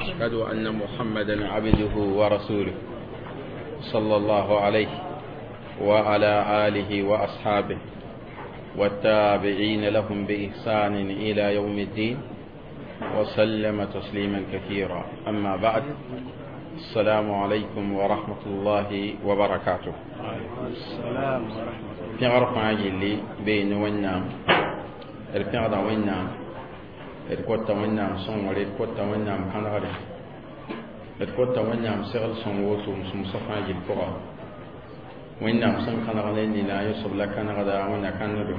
وأشهد أن محمدا عبده ورسوله صلى الله عليه وعلى آله وأصحابه والتابعين لهم بإحسان إلى يوم الدين وسلم تسليما كثيرا. أما بعد، السلام عليكم ورحمة الله وبركاته. السلام ورحمة الله. Pẽgr fãa yelli bee ne Wẽnnaam d pẽgda Wẽnnaam, d kota Wẽnnaam sõngre, d kota Wẽnnaam kãnegre, d kota Wẽnnaam segl sõng woto-sũmsã fãa gill pʋga. Wẽnnaam sẽn kãneg ne nina, yõsb la kãnegda, Wẽnna kãnegdo.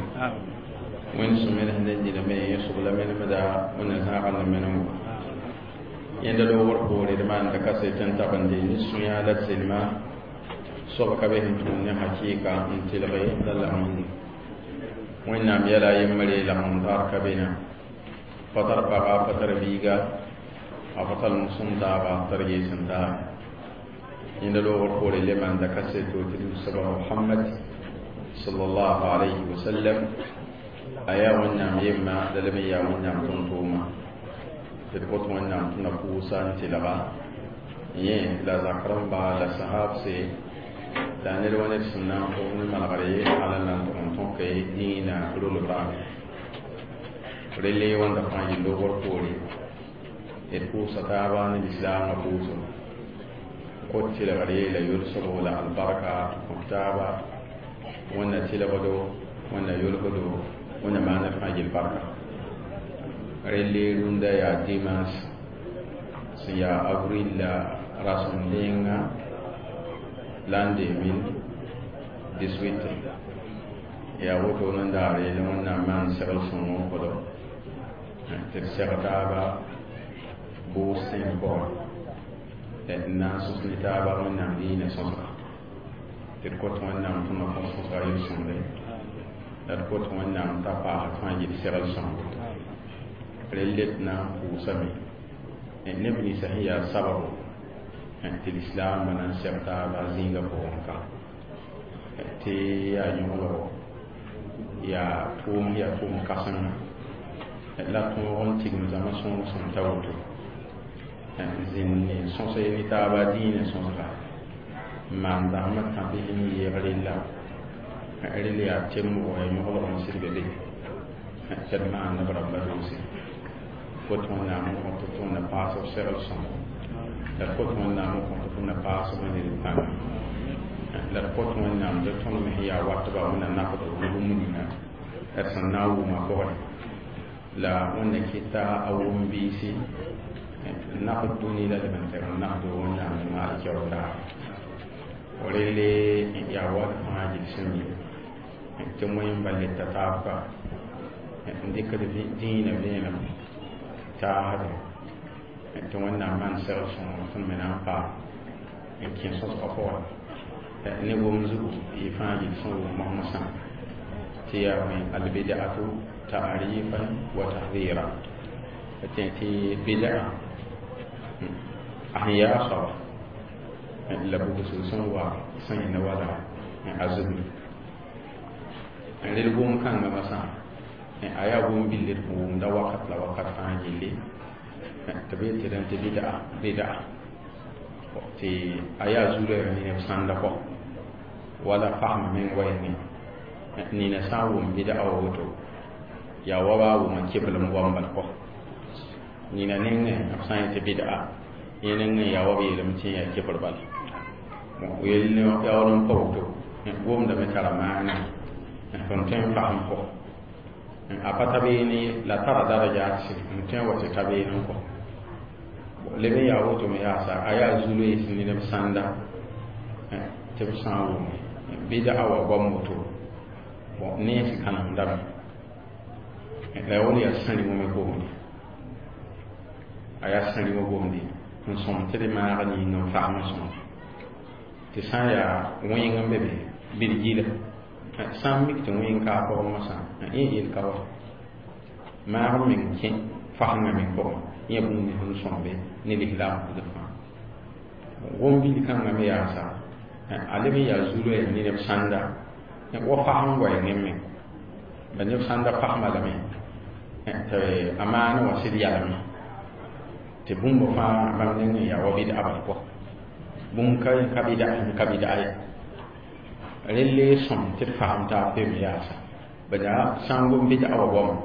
Wẽnd sẽn menes ne nina me, yõsb la menemda, Wẽnna zãagã ne menengo. Yẽnda loogr poore d maanda kaset n tabende ne sũyã la d selma soab ka be sẽn tũud ne hakɩɩka n telge la lagem Wẽnnaam yɛla a yembre lagem taar ka be na pa tar paga, pa tar biiga, a pa tar sõm taaba t'a d gees n taar. Yẽnda loogr poore le maanda kaseto tɩ d soaba Mohamad sallallahu alayhi wa sallam a yaa Wẽnnaam yemma la lem n yaa Wẽnnaam tõn-tʋʋma tɩ d kõt Wẽnnaam tɩ na pʋʋsa n tɩlga yẽ la zakr n ba la sahabse la ned wa ned sẽn na n fʋg ne malgre ala la n tʋg n tõke dĩinã rolbrã. Relle wãnda fãa yel loogr poore d pʋʋsa taaba ne lislaamã pʋʋsem kot tɩlgre la yolsgo la albarka kõ taaba. Wẽnna tɩlgdo, Wẽnna yolgdo, Wẽnna maana fãa yel barka. Relle rũndã yaa dimanche sẽn yaa avril la rasem denga l'an 2018. Yaa woto nan daare la Wẽnnaam maan segl sõngo n kõdo tɩ d seg taaba bʋʋs sẽn pʋgẽ n na n sõs ne taaba Wẽnnaam diinã sõsga, tɩ d kõt Wẽnnaam tɩ na kõs sõsga yel-sõmde la d kõt Wẽnnaam t'a paas fãa yel segl sõngo. Relle d na n pʋʋsame neb ninsã sẽn yaa sababo tɩ lislaambã na n seg taaba zĩigã pʋgẽ ka tɩ yaa yõgelgo, yaa tʋʋm, yaa tʋʋm kãsenga la tõog n tigim zãma sõng sẽn ta woto zĩnd ne sõs ne taaba dĩinã sõsga n maan dãmbã tãbis n yeeg rella. Rel yaa temgo, yaa yõgelg n sɩd be be tɩ d maan b rãmba doose. Kot Wẽnnaam n kõt tɩ na paas b segl sõngo, la d kot Wẽnnaam n kõt tɩ na paas b ned pãnga, la d kot Wẽnnaam tɩ tõnd me sẽn yaa watba, Wẽnna nakd b ne bũmb ninga d sẽn na n wʋma pʋgẽ la Wẽnna kɩta a wʋm biisi nakd dũni la leb n tɩg n nakd Wẽnnaam ne maal keoor. Relle yaa wat fãa gill sẽn mi tɩ wẽn bal le ta taab ka n dɩkd dĩinã vẽenem taasde tɩ Wẽnnaam maan segl sõng tõnd me na n paam n kẽ sõsgã pʋgẽ ne gom zugu y fãa gill sẽn wʋm mosmosã tɩ yaa bõe albidatu ta'rifan wa tahdira tɩ tɩ bida a sẽn yaa soaba la bugsg sẽn wa sẽn yẽna wala a zugmi. Rel gom kãngã masã a yaa gom bill d wʋmda wakat la wakat fãa gilli tɩ b yetɩ rẽn tɩ bida bida tɩ a yaa zulã ne neb sãnda kɔ wala fasma meng wa yẽngẽ. Nina sã n wʋm bida wa woto yaa wa ba wʋm n keblem goam bal kɔ nina nengẽ b sã n yetɩ bida yẽ nengẽ yaa wa b yeelame tɩ yaa kebr bala yell yaool n pa woto gomdame tara maana tõnd tõe n fasem kɔ a pa ta beene ye la tara daraja n tõe n wa tɩ ta beene n kɔ leb n yaa woto me yaasa a yaa zuloe sẽn ne neb sãnda tɩ b sã n wʋme bɩda a wa goam woto bon nens kãnemdame la yaool yaa sãrɩ me gomde, a yaa sãrɩ gomde n sõm tɩ d maag ning n fasem sõm tɩ sã n yaa wẽng n be be bɩd gila sã n mik tɩ wẽng ka a pʋgẽ masã yẽ yel ka wa maag n meng kẽ fasengã meng pʋgẽ yẽ bũmb nins n sõmbe ne lislaam pʋgd fãa. Gom bil kãngã me yaasa a leb n yaa zuloɛ ne neb sãnda wa fasem goɛɛngẽ meng ba neb sãnda fasma lame tɩ a maana wã sɩd yalame. Tɩ bũmb fãa bãmb nengẽ yaa wa bɩd'a bala pʋga bũmb ka bɩd'a ka bɩd'a ye relle sõm tɩ d fasem taab pem yaasa bala sã n gom bɩd'a wa goama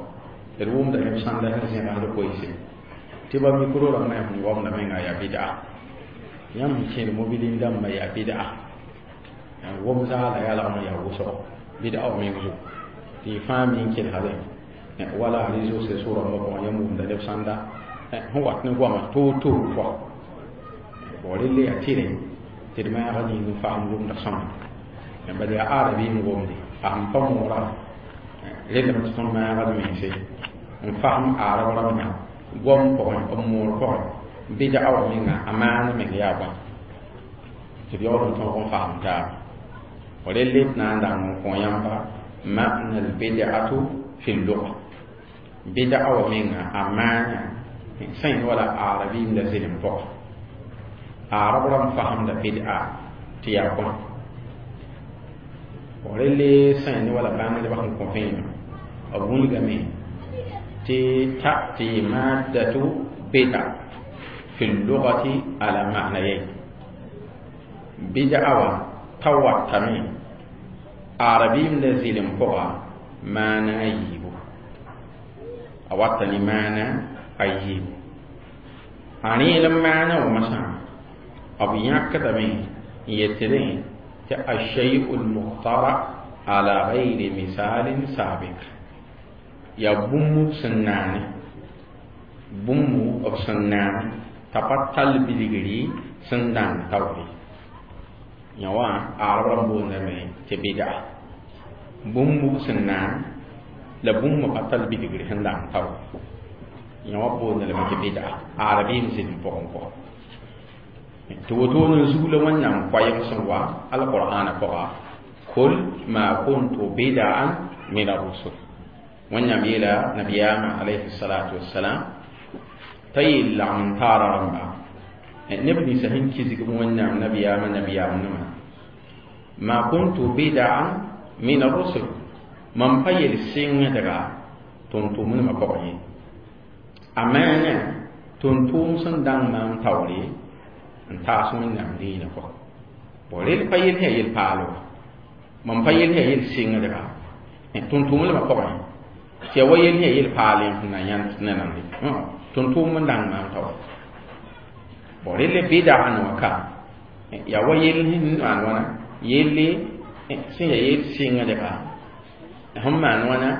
d wʋmda neb sãnda sẽn zẽgsd koeese tɩ ba mikro rãmbã sẽn goamda menga yaa bɩd'a yãmb sẽn kẽed mobilin dãmbã yaa bɩd'a wom zaala yaa lagm yaa wʋsgo bɩd'a wa meng zugu tɩ y fãa mi n kelgdẽ wala réseau sociaux rãmbã pʋgẽ yãmb wʋmda neb sãnda sẽn wat ne goamã toor-toor pʋga bon relle yaa tɩrẽ tɩ d maag ning n fasem gomda sõma bala yaa arabi n gomde a sẽn pa moora rellame tɩ tõnd maagd mense n fasem arab rãmbã goam pʋgẽ b moor pʋgẽ bɩd'a wa menga a maan meng yaa bõe tɩ d yaool n tõog n fasem taaba relle d na n dãng n kõ yãmba ma'na al-bid'atu fi l-lugha bid'a wa menga a maana sẽn wala arabi la zɩlem pʋga arab rãmb fasemda bid'a tɩ yaa bõe relle sẽn wala bãngdbã sẽn kõ vẽenem b wilgame tɩ ta'ti maddatu bid'a fi l-lughati ala ma'nayayn bid'a wa ta watame arabim la zɩlem pʋga maana a yiibu a wata ne maana a yiibu a rẽelem maana wa masã b yãkdame n yetɩdẽ tɩ الشيء المخترع على غير مثال سابق yaa bũmb sẽn naane bũmb b sẽn naane t'a pa tall bilgri sẽn dãng taoore yã wã arab rãmb boondame tɩ bɩd'a bũmb sẽn naan la bũmb pa tall bilgri sẽn dãng taoore yã wã boonda lame tɩ bɩd'a arabiim zɩlem pʋgẽ pʋga tɩ wotone n zug la Wẽnnaam koɛɛg sẽn wa alqur'ana pʋga kul ma kuntu bid'an min ar-rusul Wẽnnaam yeela nabiyaamã alayhi salatu wassalam t'a yeel lagm n taara rãmba neb ninsã sẽn kizg Wẽnnaam nabiyaamã nabiyaam-nima ma kuntu bid'an min ar-rusul mam pa yel sɩngdga tʋm-tʋʋmdmã pʋgẽ ye a maana tʋm-tʋʋm sẽn dãng maam taoore n taas Wẽnnaam diinã pʋgẽ bon rel pa yel sã yel paal wa mam pa yel sã yel sɩngdga tʋm-tʋʋmdmã pʋgẽ tɩ ya wa yel sã yel paal sẽn na yãnd ne nande tʋm-tʋʋm n dãng maam taoore bon relle bɩda n wã ka yaa wa yel sẽn maan wãna yelle sẽn yaa yel sɩngdga sẽn maan wãna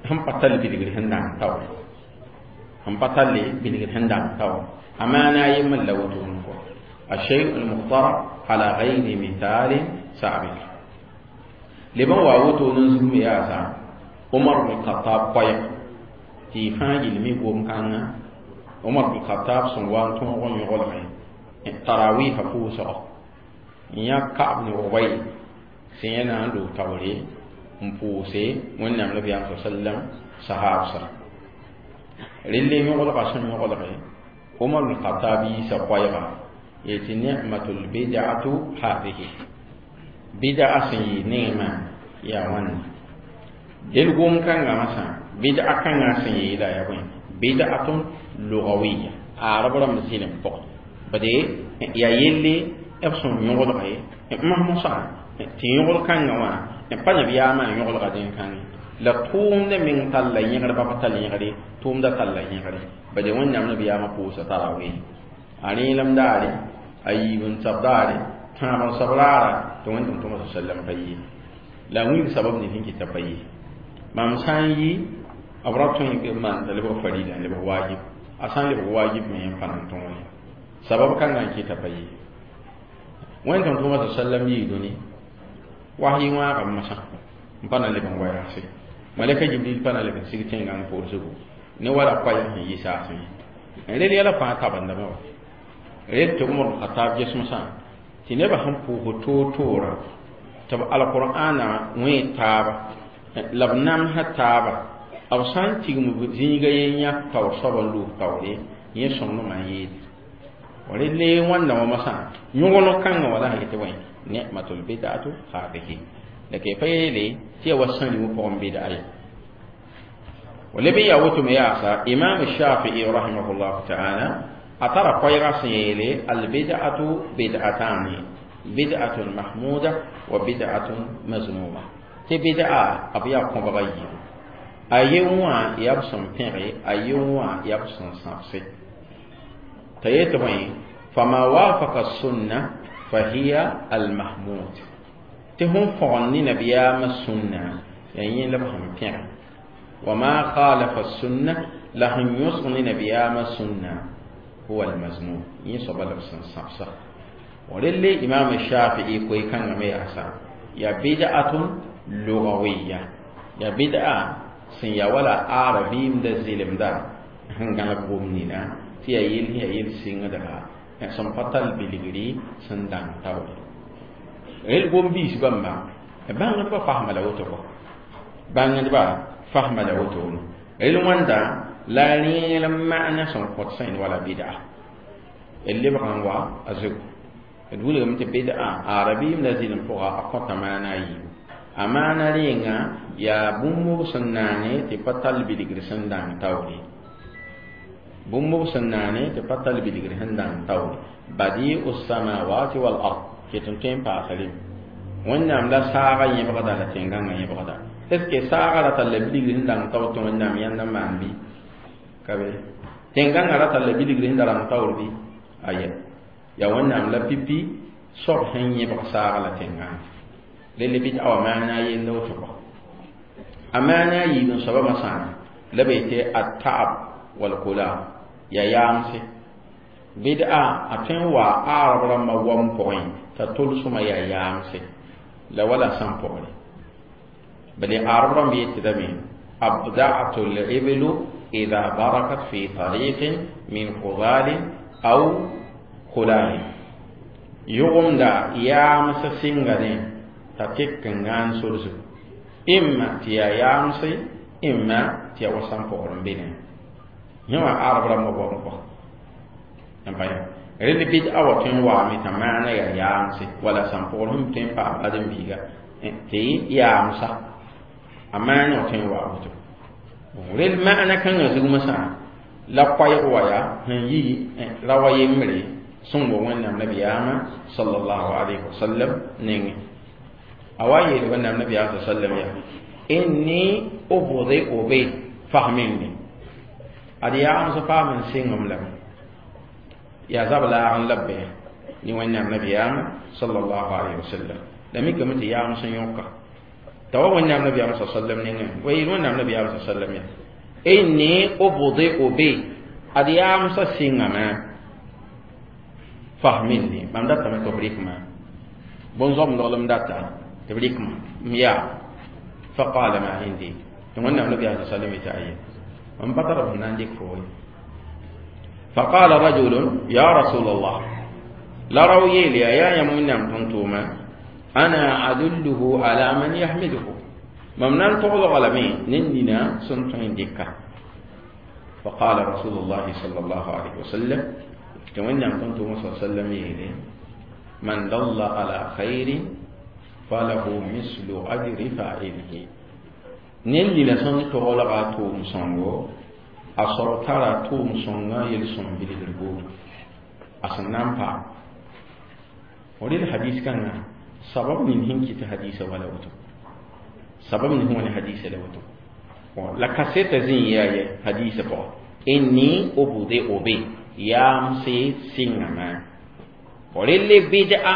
sẽn pa tall bilgr sẽn dãng taoore sẽn pa talle bilgr sẽn dãng taoore a maana a yembr la wotone kɔ الشيء المخترع على غير مثال سابق لبن واوتو نزم ياسا عمر بن الخطاب قيق تي فاجل مي قوم كان عمر بن الخطاب سن وان تون غن يغلغ تراويح فوسا يا كعب بن أبي سينا لو توري مبوسي ونعم النبي صلى الله عليه وسلم صحاب رلي يغلغ سن يغلغ عمر بن الخطاب يسا قيق yetɩ ni'matul bid'atu hadihi bid'a sẽn yɩ nengmã yaa wãnna del gom-kãngã masã bid'a kãngã sẽn yeela yaa bõe bid'atun lugawiya arab rãmb zĩlem pʋgẽ bade yaa yelle b sẽn yõgelga ye masã tɩ yõgl-kãngã wã pa nabiyaamã n yõgelga dẽn-kãngẽ la tʋʋmdã meng talla yẽgr ba pa tall yẽgre tʋʋmdã talla yẽgre bade Wẽnnaam nabiyaamã pʋʋsa tarawih a rẽelem daare a yiib n sab daare tãab n sab raara tɩ Wẽnnaam tõma sallam pa yɩ la a wilg sabab nins sẽn kɩta pa yɩ mam sã n yɩ b ra tõe n maan t'a lebg farida n lebg wajib a sã n lebg wajib me n pa nan tõog ye sabab kãngã n kɩta pa yɩ Wẽnnaam tõma sallam yɩɩ dũni wahyi wãagame masã n pa na leb n wa yaase malɛka Jibril pa na leb n sig tẽngã n poor zugu ne wala koɛɛg sẽn yɩ saasẽ ye rel yɛla fãa tabendame wa rel tɩ Umar Khatab ges-mosã tɩ nebã sẽn pʋʋs toor-toorã tɩ b alqur'ana wẽ taaba la b namsã taaba b sã n tigm zĩiga yen yãk taoor soab n loog taoore yẽ sõngdmã n yeede relle wãnda wã masã yõgeneg kãngã wã la sã yetɩ bõe ni'matul bid'atu hadihi la ke pa yeele tɩ ya wa sãn wã pʋgẽ bid'a ye ولبي يا وتم يا إمام الشافعي رحمه الله تعالى. A tara koɛɛga sẽn yeele albid'atu bid'atani, bid'atun mahmuda wa bid'atun mazmuma, tɩ bid'a b yaa kõbga yiibu, a ye wã yaa b sẽn pẽge, a ye wã yaa b sẽn sãbse. T'a yetɩ bõe? Fama wafaka sunna fahiya almahmud, tɩ sẽn fõgen ne nabiyaamã sũnna yaa yẽ la b sẽn pẽge, wa ma khalafa sunna, la sẽn yõsg ne nabiyaamã sũnna, huwa almazmum, yẽ soaba la b sẽn sãbsa. Relle imam Shafii koe-kãngã me yaasa yaa bid'atun lugawiya, yaa bid'a sẽn yaa wala arabiimda zɩlemda sẽn gãlg gom nina tɩ yaa yel sẽn yaa yel sɩngdga sẽn pa tall bilgri sẽn dãng taoore. Rel gom-biis bãmba bãngdbã fasma la woto kɔ, bãngdbã fasma la woto. Rel wãnda la rẽel n maana sẽn kõt sẽn wala bid'a d lebg n wa a zogo. D wilgame tɩ bid'a arabiimda zɩlem pʋga a kõta maana a yiibu. A maana rẽnga yaa bũmb sẽn naane tɩ pa tall bilgr sẽn dãng taoore, bũmb sẽn naane tɩ pa tall bilgr sẽn dãng taoore. Badi'u samawati wal ard ket n tõe n paasa rem. Wẽnnaam la saagã yẽbgda la tẽn-gãngã yẽbgda. Est ce que saagã ra talla bilgr sẽn dãng taoor tɩ Wẽnnaam yãnd n maan bɩ? Ka be. Tẽn-gãngã ra talla bilgr sẽn da rãng taoor bɩ? Aya, yaa Wẽnnaam la pipi soab sẽn yẽbg saagã la tẽn-gãngã. Relle bɩ awa maana a yella woto kɔ. A maana a yiib n soaba masãana la be tɩ at-ta'ab wal kula, yaa yaamse. Bid'a a tõe n wa arab rãmbã wam pʋgẽ t'a tolsmã yaa yaamse la wala sãn pʋgre. Bale arab rãmb yetdame abda'atu l-iblu idha barakat fi tariqin min khudalin aw khulalin, yʋgemda yaamsã sɩngame t'a tek n gãan sor zugu, imma tɩ yaa yaamse, imma tɩ yaa wa sãn pʋgr n be ne yẽ wã arab rãmbã goam kɔ n pa. Ya rel bid'a wa tõe n waame t'a maana yaa yaamse wala sãn pʋgr sẽn tõe n paam ãdem-biiga tɩ yaamsa, a maana wa tõe n waa woto. Rel maana kãngã zugmã sã la koɛɛg wa yaa sẽn yi ra wa yembre sẽn wa Wẽnnaam nabiyaamã sallallahu alayhi wa sallam nengẽ. A wa yeel Wẽnnaam nabiyaam sallam yaa inni ubdi'u bi fahminni, ad yaams paam n sɩngem lame yaa zab laag n la bɩ ne Wẽnnaam nabiyaamã sallallahu alayhi wa sallam. La mikame tɩ yaams n yõka t'a wa Wẽnnaam nabiyaam sallam nengẽ wa yeel Wẽnnaam nabiyaam sallam yaa inni ubdi'u bi, ad yaamsã sɩngame fahminni, mam datame tɩ b rɩkma bõn-zoamdglem data tɩ b rɩkma m yaa. Faqala ma indi, tɩ Wẽnnaam nabiyaam sallam yetɩ aye, mam pa tar b sẽn na n dɩk fo ye. فقال رجل يا رسول الله، لا روي لي يا يمنا تنتوما، أنا أدله على من يحمده، ممنان تغلق غلمي نننا سنتين ديكا. فقال رسول الله صلى الله عليه وسلم تمنى تنتوما صلى الله عليه وسلم من دل على خير فله مثل أجر فاعله، نننا سنتغلق توم سنغو a sɔrɔ tara tʋʋm sõnga yel-sõm bilgr buudu a sẽn na n paam. Rel hadis kãngã sabab nin sẽn kɩt hadisa wala woto, sabab nin sẽn wa ne hadisa la woto la kaseta zĩ yaa ye hadisa pʋgã inni ubdi'u bi, yaamse sɩngame. Relle bid'a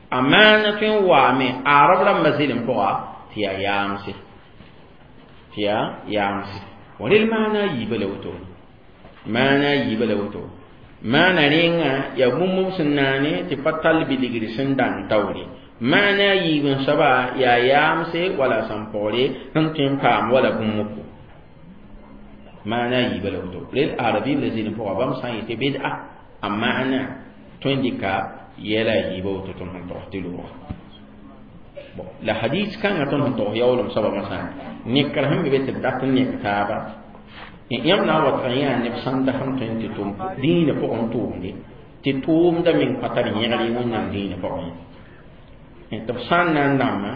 a maana tõe n waame arab rãmbã zɩlem pʋga tɩ yaa yaamse, tɩ yaa yaamse. Rel maana a yiibã la woto, maana a yiibã la woto. Maana rẽnga yaa bũmb sẽn naane tɩ pa tall bilgr sẽn dãng taoore. Maana a yiib n soaba yaa yaamse wala sãn-pɔgre sẽn tõe n paam wala bũmb. Maana a yiibã la woto. Rel arabiib la zɩlem pʋga bãmb sã n yetɩ bɩd'a a maana tõe n dɩka yɛla a yiibã woto tõnd sẽn togs tɩ loogã. Bon, la hadis kãngã tõnd sẽn togs yaoolem soaba masã nekr sẽn be be tɩ b dat n nek taaba yãmb na n wat n yaa neb sãnda sẽn tõe n tɩ tʋm dĩinã pʋgẽ tʋʋmde tɩ tʋʋmda meng pa tar yẽgre Wẽnnaam dĩinã pʋgẽ tɩ b sã n na n dãmba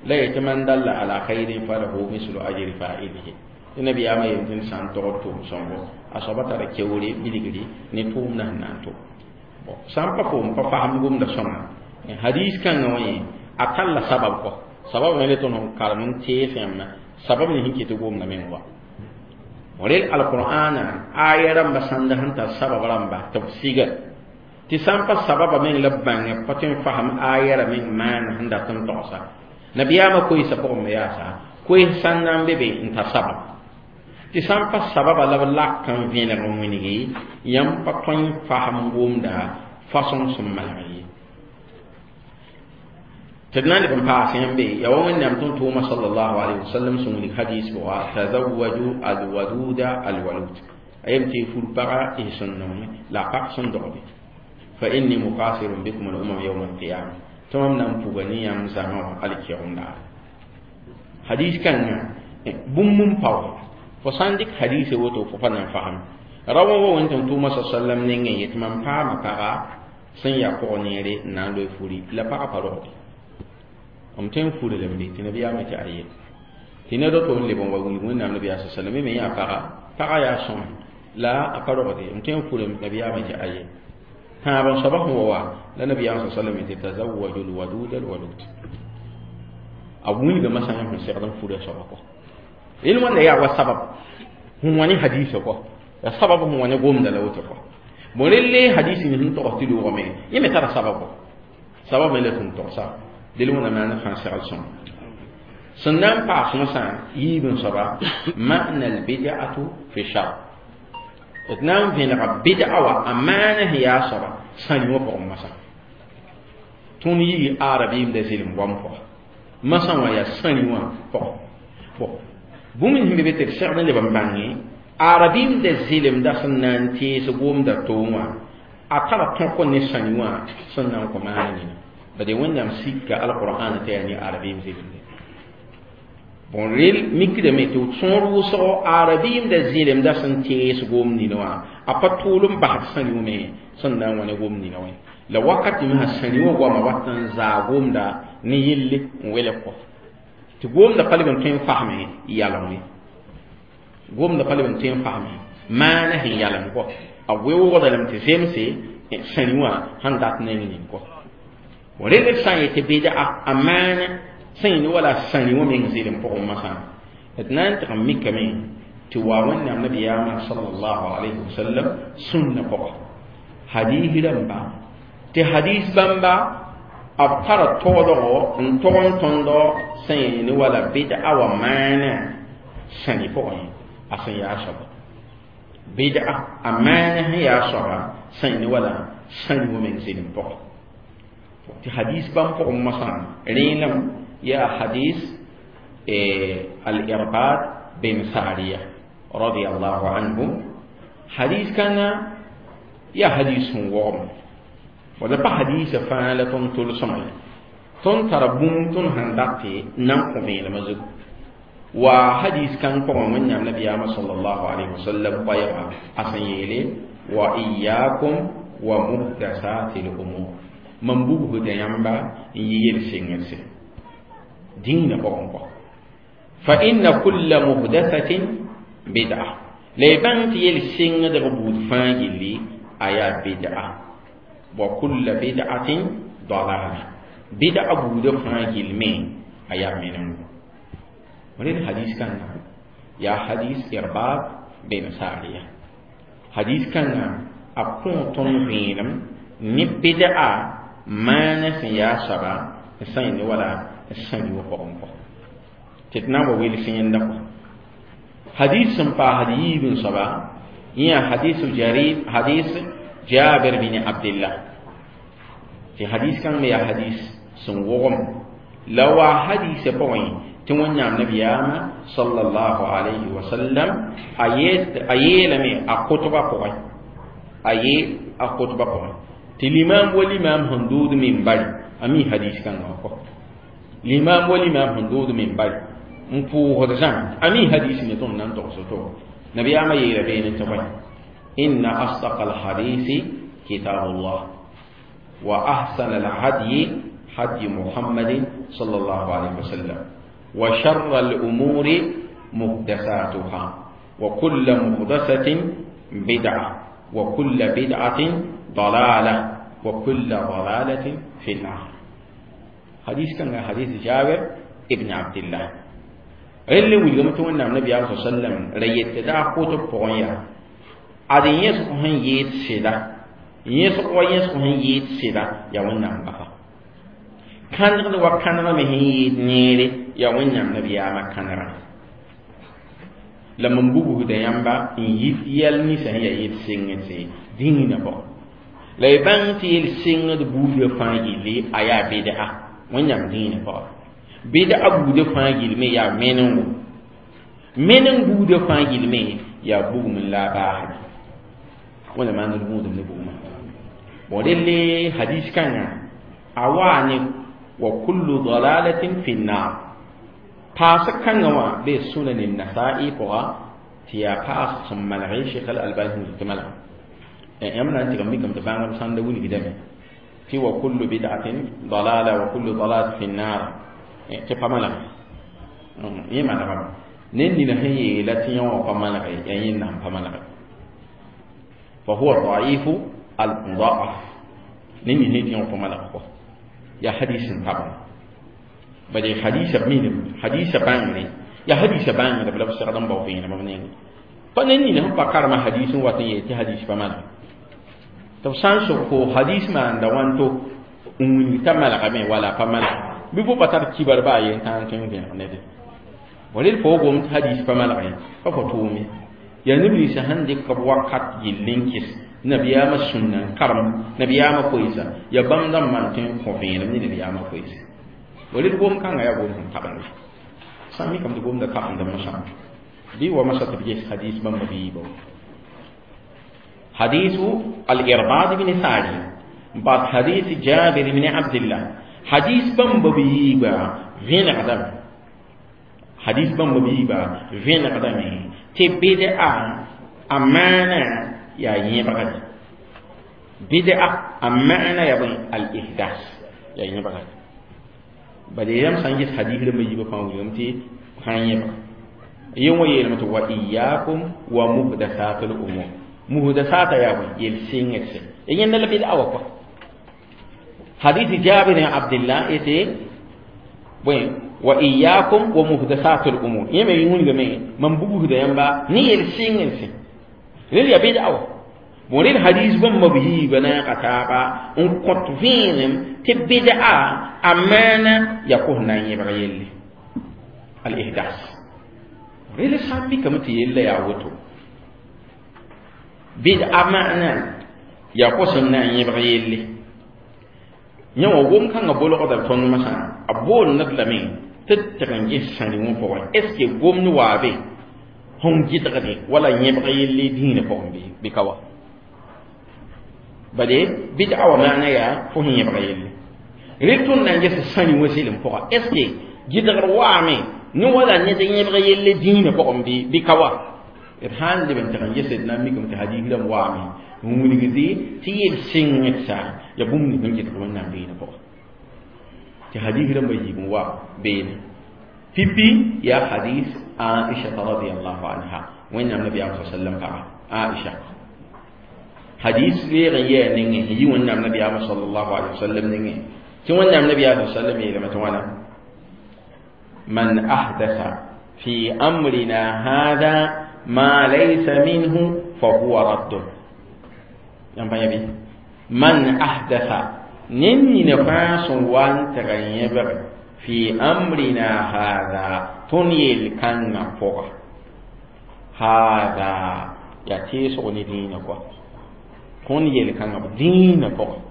la yetɩ man dalla ala khairin falahu mislu ajri fa'ilihi. Tɩ nabiyaamã yem tɩ sã n togd tʋʋm sõngo a soaba tara keoore bilgri ne tʋʋmdã sẽn na n tʋm. Sã n pa foom pa fasem gomda sõma hadis kãngã wã yẽ a talla sabab kɔ sabab me le tõnd sẽn karem n tees yãmba sabab ne sẽn ket gomda meng wa rel alqur'ana aya rãmba sãnda sẽn tar sabab rãmba tɩ b siga tɩ sã n pa sababa meng la b bãnge pa tõe n fasem aya ra meng maana sẽn dat n togsa nabiyaamã koeesã pʋgẽ me yaasa koees sã n na n be be n tar sabab tɩ sã n pa sababa la b lak n vẽneg n wilgi yãmb pa tõe n fasem gomda façon sẽn malg ye tɩ d na n leb n paas yãmbe yaa wa Wẽnnaam tʋm-tʋʋmã sallallahu alayhi wa sallam sẽn wilg hadis pʋga tazawwaju alwaduda alwalud a yem tɩ y fur paga y sẽn nonge la a pag sẽn dogde fa inni mukasirun bikum al-umam yawm al-qiyama tɩ mam na n puga ne yãmb zãma wã alkiogem daare hadis kãngã bũmb n pao fo sã n dɩk hadise woto fo pa na n fasem ra wã wa wẽn tʋm-tʋʋmã sa sallam nengẽ yetɩ mam paama paga sẽn yaa pʋg neere n na n loe furi la pagã pa rogde m tõe n furi lame tɩ nabiyaamã tɩ aye tɩ ned woto n leb n wa wilg Wẽnnaam nabiyaa sa sallam me yã paga paga yaa sõma la a pa rogde m tõe n furi nabiyaamã tɩ aye tãab n soaba sẽn wa wa la nabiyaamã sa sallam tɩ tazawwaju lwadud alwalud a wilgame sã n sẽn segd n furi a soaba kɔ rel wãnda yaa wa sabab sẽn wa ne hadisa kɔ ya sabab sẽn wa ne gomda la woto kɔ bon rel hadis ni sẽn togs tɩ loogame yẽ me tara sabab kɔ sabab me la sẽn togsa del wẽna maana fãa segl sõma sẽn na n paas masã yiib n soaba ma'na albid'atu fi shar d na n vẽnega bid'a wa a maana sẽn yaa soaba sãn wã pʋgẽ masã tõnd yii arabiimda zɩlem goam pʋga masã wã yaa sãni wã pʋgẽ bon bũmb sẽn be be tɩ d segd n leb n bãnge arabiimda zɩlemda sẽn na n tees gomda toong wã a tara tõk ne sãni wã sẽn na n kõ maana nina bade Wẽnnaam sika alqur'an tɩ yaa ne arabiim zɩlemde bon rel mikdame tɩ sõor wʋsgo arabiimda zɩlemda sẽn tees gom nina wã a pa tʋʋl n basd sãni wã me sẽn na n wa ne gom nina wã la wakat me sã sãni wã goama wat n zaa gomda ne yelle n welg kɔ tɩ gomda pa leb n tõe n fasme yalem ye gomda pa leb n tõe n fasme maana sẽn yalem kɔ a weoogda lame tɩ zemse sãni wã sẽn dat neng ning kɔ rel d sã n yetɩ bɩd'a a maana sẽn yẽ wala sãni wã meng zɩlem pʋgẽ masã d na n tɩg n mikame tɩ wa Wẽnnaam nabiyaamã sallallahu alayhi wa sallam sũnna pʋga hadis rãmba tɩ hadis bãmba b tara toodgo n tog n tõndo sẽn yẽ ne wala bɩd'a wa maana sãni pʋgẽ a sẽn yaa soaba bɩd'a a maana sẽn yaa soaba sẽn yẽ ne wala sãni wã meng zɩlem pʋgẽ tɩ hadis bãmb pʋgẽ masã rẽenam yaa hadis al-Irbad bin Sariya radiyallahu anhu hadis kãngã yaa hadis sẽn wogem wala pa hadisa fãa la tõnd tol sõma ye tõnd tara bũmb tõnd sẽn dat tɩ na n kõ vẽenemã zugu wa hadis kãng pʋgẽ Wẽnnaam nabiyaamã sallallahu alayhi wa sallam koɛɛga a sẽn yeele wa iyyakum wa muhdasati l-umur mam bugsda yãmba n yɩ yel-sengdse dĩinã pʋgẽ kɔ fa inna kulla muhdathatin bid'a la y bãng tɩ yel-sengdg buud fãa gilli a yaa bid'a wa kulla bid'atin dalala bid'a buudã fãa gill me a yaa menengo rel hadis kãngã yaa hadis Irbad bin Sariya hadis kãngã a kõ tõnd vẽenem ne bid'a maana sẽn yaa soaba n sã ne wala sãni wã pʋgẽ kɔ tɩ d na n wa wels yẽnda kɔ hadis sẽn paasd yiib n soaba yẽ yaa hadis Jarir hadis Jabir bin Abdillah tɩ hadis kãng me yaa hadis sẽn wogem la wa hadisã pʋgẽ tɩ Wẽnnaam nabiyaamã sallallahu alayhi wa sallam a yeelame a kʋtba pʋgẽ a yee a kʋtba pʋgẽ tɩ limam wa limam sẽn dood minbari a mi hadis kãngã kɔ limam wa limam sẽn dood minbari n pʋʋsd zãma a mi hadis ne tõnd na n togs to nabiyaamã yeela beene tɩ bõe inna asdaqa alhadisi kitabullah wa ahsana alhadyi hadyi Muhammadin sallallahu alayhi wa sallam wa sharra al'umuri محدثاتها وكل محدثة بدعة وكل بدعة ضلالة وكل ضلالة في النار. حديث كان حديث جابر ابن عبد الله اللي ولغم تو النبي صلى الله عليه وسلم ريت دا قوت بويا adin yesu ko han yet sida yesu ko yesu ko han yet sida ya wannan ba kan da wa kan na me yet nere ya wannan nabi ya makanara la man bubu da yamba in yit yel ni sa ya yet singete dingina bo la ban ti yel singa de bubu fa yili aya bid'a wannan dingina bo bid'a bubu fa yili me ya menen menen bubu fa yili me ya bugu min la ba wala ma na rubu da bugu ma wadelle hadis kan awani wa kullu dalalatin fi an-nar paas kãngã wã bee sunan nasa'i pʋga tɩ yaa paas sẽn malg Sheikh al-Albani tɩ malg yãmb na n tɩg n mikame tɩ bãngb sãn da wilgdame tɩ wa kullu bid'atin dalala wa kullu dalalatin fi an-nar tɩ pa malg yẽ malgame ned nina sẽn yeela tɩ yẽ wã pa malge yaa yẽnda sẽn pa malge fa huwa da'ifu al-muda'af ned nina tɩ yẽ wã pa malg kɔ yaa hadis n tabã bade hadisa minim hadisa bangre ya hadisa bangre bla segdam baw fina ma ne pa ne ni ne pa karma hadisin watan ye ti hadis pa mal to san so ko hadis ma nda wanto unni tamal ga me wala pa mal bi bo patar kibar ba yen tan tan be ne de walil fo gom hadis pa mal ga pa ko tumi ya nabi sa hande ka wakat yillinkis nabiya ma sunna karam nabiya ma koisa ya bamdam man tin ko fe ne nabiya ma koisa walil gom kanga ya gom taban sami kam gom da ka anda masa bi wa masa tabje hadis bam bi bo حديث الإرباض بن ساري بعد حديث جابر بن عبد الله حديث بام بي با فين قدم حديث بام بي با فين قدم تي بدعة أمانة يا يبغد بدعة أمانة يا بني الإحداث يا يبغد bade yam sanjis hadith da mai yiba fa wuyum ti hanye ba yin waye mata wa iyyakum wa muhdathatul umur muhdathata ya ba yel singetse yin na labi awa ko hadith jabir bin abdullah ite boy wa iyyakum wa muhdathatul umur yeme yun ga me man bugu da yamba ni yel singetse lil ya bid awa bon hadith ban mabihi bana qataba un qot vinem te bid'a amana yakun nan yebra yelli al ihdas rele sambi kam ti yella ya woto bid'a ma'na ya ko sunna yebra yelli nyawo gom kan ga bolgo da ton masa abon nadlami tattakan sani won po est ce que gom ni wabe hon gitgade wala yebra yelli dina po bi kawa bade bid'a wa ma'na ya fo yebra yelli ritun nan gese sani wasilim poka est ce que gidgar waame ni wala ne de yebra yelle dina po bi bi kawa irhan de ben tan gese na mi kam ta hadith lam waame wuni gidi ti yel singitsa ya bum ni ngit ko nan bi na po ti hadith lam bayyi wa be pipi ya hadith Aisha radhiyallahu anha wa inna nabiy sallallahu alaihi wasallam Aisha hadith le ya ninge yi wannan nabiy sallallahu alaihi wasallam ninge ti wannan nabi sallallahu alaihi wasallam ya mata wana man ahdatha fi amrina hadha ma laysa minhu fa huwa radd yan ba yabi man ahdatha ninni ne fa sun wan tagayyabar fi amrina hadha tunyil kanna foga hadha ya ti so ni dina ko tunyil kanna dina ko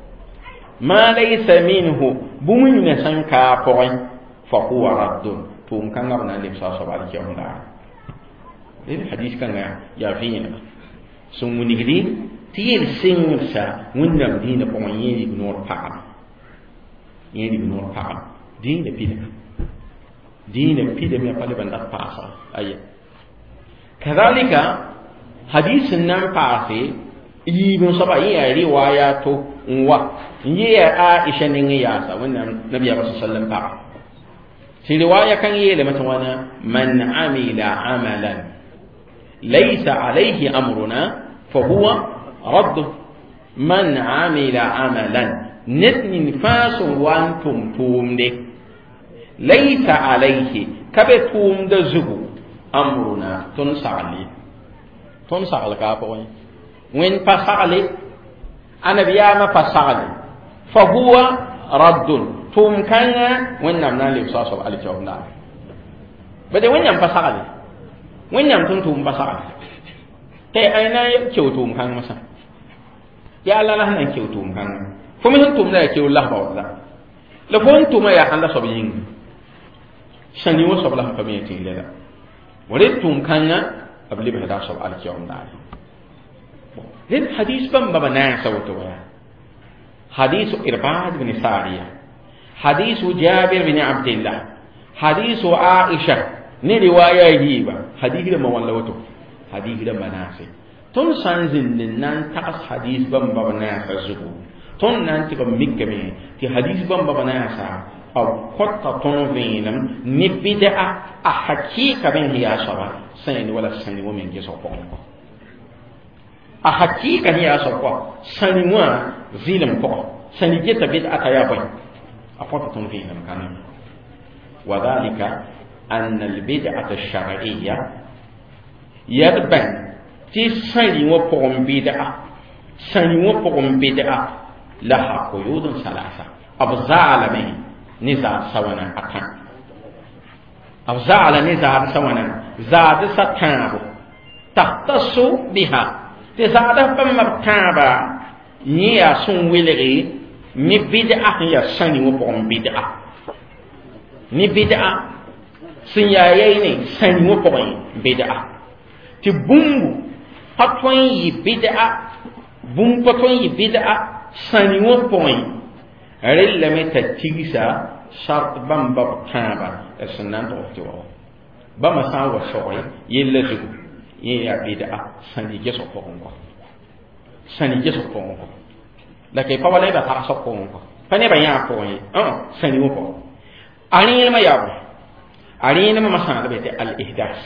ma laysa minhu bumun ne san ka foga fa huwa radd tun kanga na limsa sabal ke onda lil hadith kanga ya fina sun munigdi tiyel singsa wẽnnaam dĩinã pʋgẽ yẽ rib-noor pagame yẽ rib-noor pagame dĩinã pidame dĩinã pidame a pa leb n dat paasa aya kadalika hadis n na n paase yiib n soaba yẽ yaa riwaya to n wa n yẽ yaa Aisha nengẽ yaasa wẽnnaam nabiyaamã sa sallam paga Tɩ riwaya kãng yeelame tɩ wãna man amila amalan laysa alayhi amruna fa huwa radd. Man amila amalan ned ning fãa sẽn wa n tʋm tʋʋmde laysa alayhi ka be tʋʋmda zugu amruna tõnd sagl ye tõnd sagl ka a pʋgẽ wẽnd pa sagle annabiyaamã pa sagle fa huwa raddun tʋʋm kãngã wẽnnaam na n lebsa a soab alkiyoom daare bade wẽnnaam pa sagle wẽnnaam tõnd tʋʋm pa sagle tɩ ay na n keo tʋʋm kãng masã yaa la la sẽn na n keo tʋʋm kãngã fo me sẽn tʋmda yaa keool lasba wala la fo n tʋma yaa ãnda soab yĩnga sãni wã soab la sẽn pa me tɩ la red tʋʋm kãngã b lebsda a soab alkiyoom daare red hadis bãmba ba naasa woto wa yaa حديث إرباد بن سارية حديث جابر بن عبد الله حديث عائشة ne riwaya yiba hadisi da mawan lawato hadisi da manase ton san zin nan takas hadis bamba ba na sa zugu ton nan ti ba mikame ti hadis bamba ba na sa aw kotta ton venam ni bid'a a hakika ben hiya sawa sani wala sani wo men geso ko a hakika hiya sawa sani wa zilam ko sani geta bid'a ta ya bai a kotta ton venam kana وذلك أن البدعة الشرعية يربن تي سني وبقم بدعة سني وبقم بدعة لها قيود ثلاثة أبزال من نزاع سوانا أكان أبزال نزاع سوانا زاد ستانبو تختص بها تزاد بمرتابة نيا سن ويلغي ني بدعة هي سني وبقم بدعة ni bid'a sẽn yaa yɛy ne sãni wã pʋgẽ bid'a tɩ bũmbu pa tõe n yɩ bid'a bũmb pa tõe n yɩ bid'a sãni wã pʋgẽ rellame t'a tigsa sart bãmba b tãaba d sẽn na n tʋgs tɩ wa bãmba sã n wa soge yella zugu yẽ yaa bid'a sãni gesg pʋgẽ kɔ sãni gesg pʋgẽ kɔ la ke pa wala b tagsg pʋgẽ kɔ pa nebã yãag pʋgẽ ye sãni wã pʋgẽ a rẽenemã yaa bõe a rẽenemã masãadba tɩ al-ihdas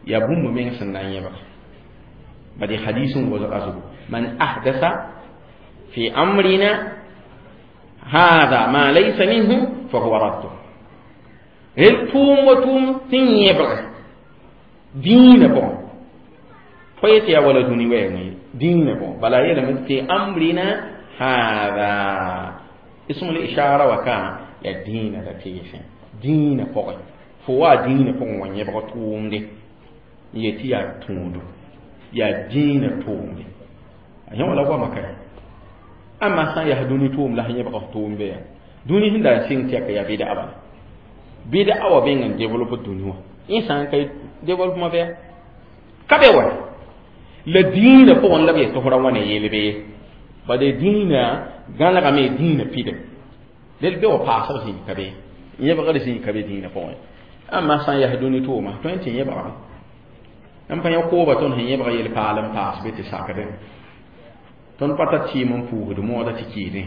yaa bũmb meng sẽn na n yẽbg bad hadis n wʋsga zugu man ahdasa fi amrina hada ma laysa minhu fa huwa raddu rel tʋʋm wa tʋʋm tɩ n yẽbg dĩinã pʋgẽ fo yetɩ yaa wala dũni wɛɛngẽ ye dĩinã pʋgẽ bala a yeelame fi amrina hada ism al-ishara wa ka ya dĩinã la teesẽ dĩinã pʋgẽ fo wa dĩinã pʋgẽ wa yẽbg tʋʋmde n yetɩ yaa tũudo yaa dĩinã tʋʋmde a yẽ wala goama ka ãmba sã n yaa dũni tʋʋm la sẽn yẽbg tʋʋmbe yaa dũni sẽn da n sɩng tɩ yaa bɩda bala bɩda wa beng n développe dũni wã yẽ sã n ka développement bɩa ka be wa la dĩinã pʋgẽ la b yetɩ f ra wãna yelbe ye bala dĩinã gãlegame dĩinã pidem del be wa paasg zĩig ka be yẽbgr zĩig ka be dĩinã pʋgẽ ãmba sã n yaa dũni tʋʋma tõe n tɩ yẽbgame n pa yã kooba tõnd sẽn yẽbg yel-paal n paas be tɩ sakdẽ tõnd pa tar tɩɩm n puusd mooda tɩ kɩɩdẽ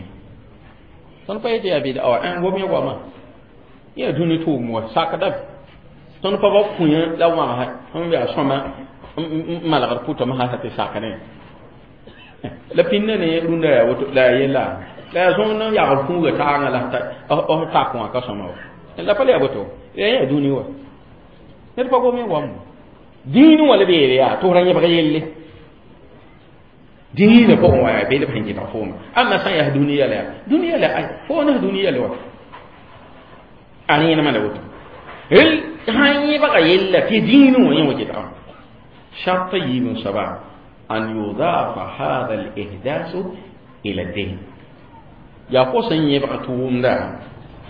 tõnd pa yetɩ yaa bɩda wa gom yã goama yaa dũni tʋʋm wa sakdame tõnd pa ba kũyã la wãgsa n yaa sõma n malgd pʋtame sã tɩ sakdẽ la pĩnda ne rũndã yaa woto la yaa yella la yaa zõng n yagl kũuga taagã la f tak wã ka sõma wa la pa le yaa boto yaa yaa dũni wa ned pa gom yã goam dĩinẽ wã la b yeele yaa tɩ f ra yẽbg yelle dĩinã pʋgẽ wa yaa beel b sẽn kɩtg fooma ãmba sã n yaa dũni yɛla yaa dũni yɛla ay fo ne dũni yɛla wa a rẽenemã la woto rel sã n yẽbga yella tɩ dĩinẽ wã yẽ wa kɩtgame shart yiib n soaba an yudafa hada al-ihdasu ila din yaa fo sẽn yẽbg tʋʋmda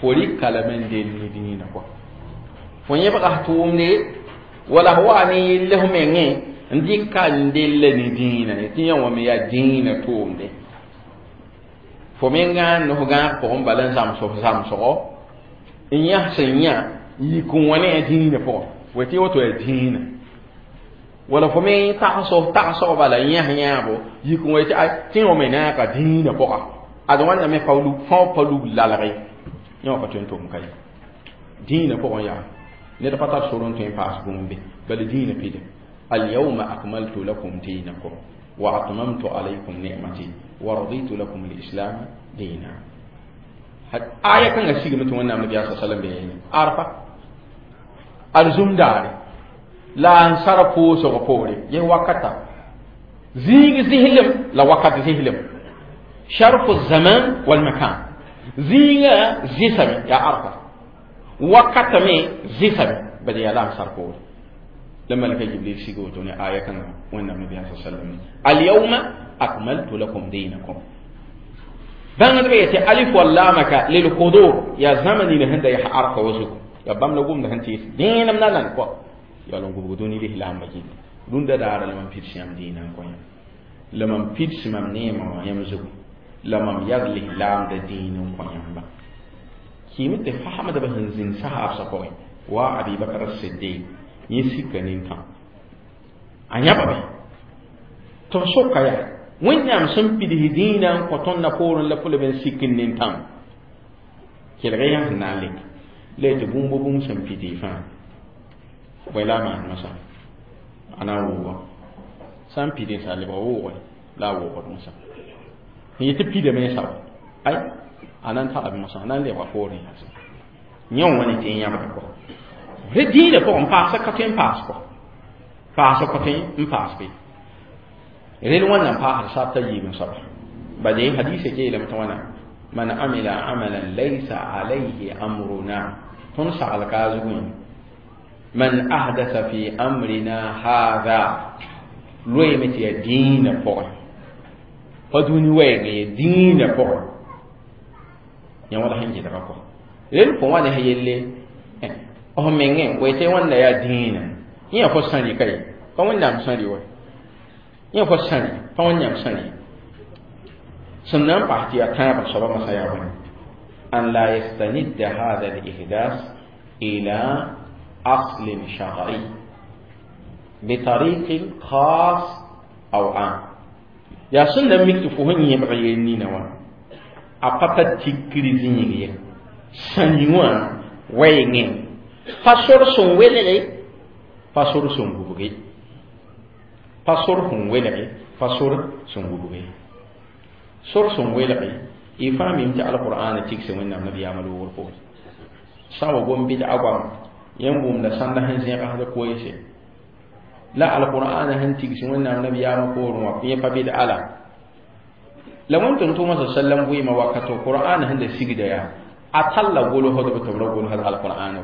fo rɩka lame n del ne dĩinã kɔ fo yẽbga tʋʋmde wala fo wa ne yelle f mengẽ n dɩka n della ne dĩinã ye tɩ yã wã me yaa dĩinã tʋʋmde fo menga n f gãag pʋgẽ bala n zãms f zãmsgo n yãs sẽn yã yik n wã ne a dĩinã pʋgẽ fo tɩ woto yaa dĩinã wala fo me tags f tagsg bala n yãs yãabo yik n wa tɩ ay tɩ yã wã me naaka dĩinã pʋga ad wãnna me fãa pa lug lalge yã wã pa tõe n tʋm ka ye Dĩinã pʋgẽ yaa ned pa tar sor n tõe n paas bũmb be bala dĩinã pida alyawma akmaltu lakum dinakum wa atmamtu alaykum ni'mati wa raditu lakum al-islam dina. Aya kãngã sigame tɩ Wẽnnaam nabiyaa sa sallam be arfa arzum daare la n sara pʋʋsg poore yẽ wakata zĩig zĩslem la wakat zĩslem sharfu zaman wal makan zĩigã zɩsame yaa arfa wakata me zɩsame bala yaa la n sar poore la malaka Jibril sig woto ne aya kãngã Wẽnnaam nabiyaa sa sallam alyawma akmaltu lakum dinakum bãngdbã yetɩ alif wallama ka lilhudur yaa zãma nina sẽn da yaa arfa wa zugu yaa bãmb la gomda sẽn tɩɩs dẽenem na nan kɔ yaa la n gubg dũni lislaambã gilli rũndã daara la mam pids yãmb dĩinã n kõ yãmb la mam pids mam neemã wã yãmb zugu la mam yad lislaamda dĩin n kõ yãmba kɩɩme tɩ faamdbã sẽn zĩnd sahaabsã pʋgẽ wa Abi Bakr Siddiq yẽ sika nintã a yãbame tɩ b soka yaa Wẽnnaam sẽn pids dĩinã n kõ tõnd na poorẽ la fo leb n sik n nintãm kelg yã sẽn na n lek la tɩ bũmb bũmb sẽn pidi fãa bõe la a maan masã a na n wʋʋga sã n pid n sa lebg wʋʋge la a wʋʋgd masã n yetɩ pidame n sao ay a na n tara masã a na n lebga poorẽ yaasã yẽ wã ne tɩ n yãbda kɔ rẽ dĩinã pʋgẽ paasã ka tõe n paas kɔ paasã ka tõe n paas be rel wẽnnaam paasd sabta yiib n soaba bade hadisa keelame tɩ wãna man amila amalan laysa alayhi amruna tõnd sagl ka a zugẽ man ahdasa fi amrina hadha loeeme tɩ yaa dĩinã pʋgẽ pa dũni wɛɛngẽ ya dĩinã pʋgẽ yã wala sẽn gɩdga kɔ rel fo wã ne sã yelle f mengẽ bõe tɩ wãnda yaa dĩinã yẽ yaa fo sãri ka ye pa Wẽnnaam sãri wa yẽ fo sãri pa Wẽnnaam sãri sẽn na n paas tɩ yaa tãabr soaba masã yaa bõe an la yastanidda hada al-ihdas ila أصل شرعي بطريق خاص أو عام يا سنة مكتفوهن يبغي نينوا أبطا تكري زينيغي سنيوا وينين فصور سن ويلغي فصور سن بوغي فصور سن ويلغي فصور سن بوغي صور سن ويلغي إفهم يمتع القرآن تكسي وإنما النبي يعملوا ورقوه سوى قوم بدع قوم yẽn wʋmda sãnda sẽn zẽgsd koeese la alqur'ana sẽn tigs Wẽnnaam nabiyaamã poorẽ wã yẽ pa bɩd'a la la wẽn tʋm-tʋʋmã sa sallam vɩɩmã wakato qur'ana sẽn da sigda yaa a talla golsdb tɩ b ra golsd alqur'ana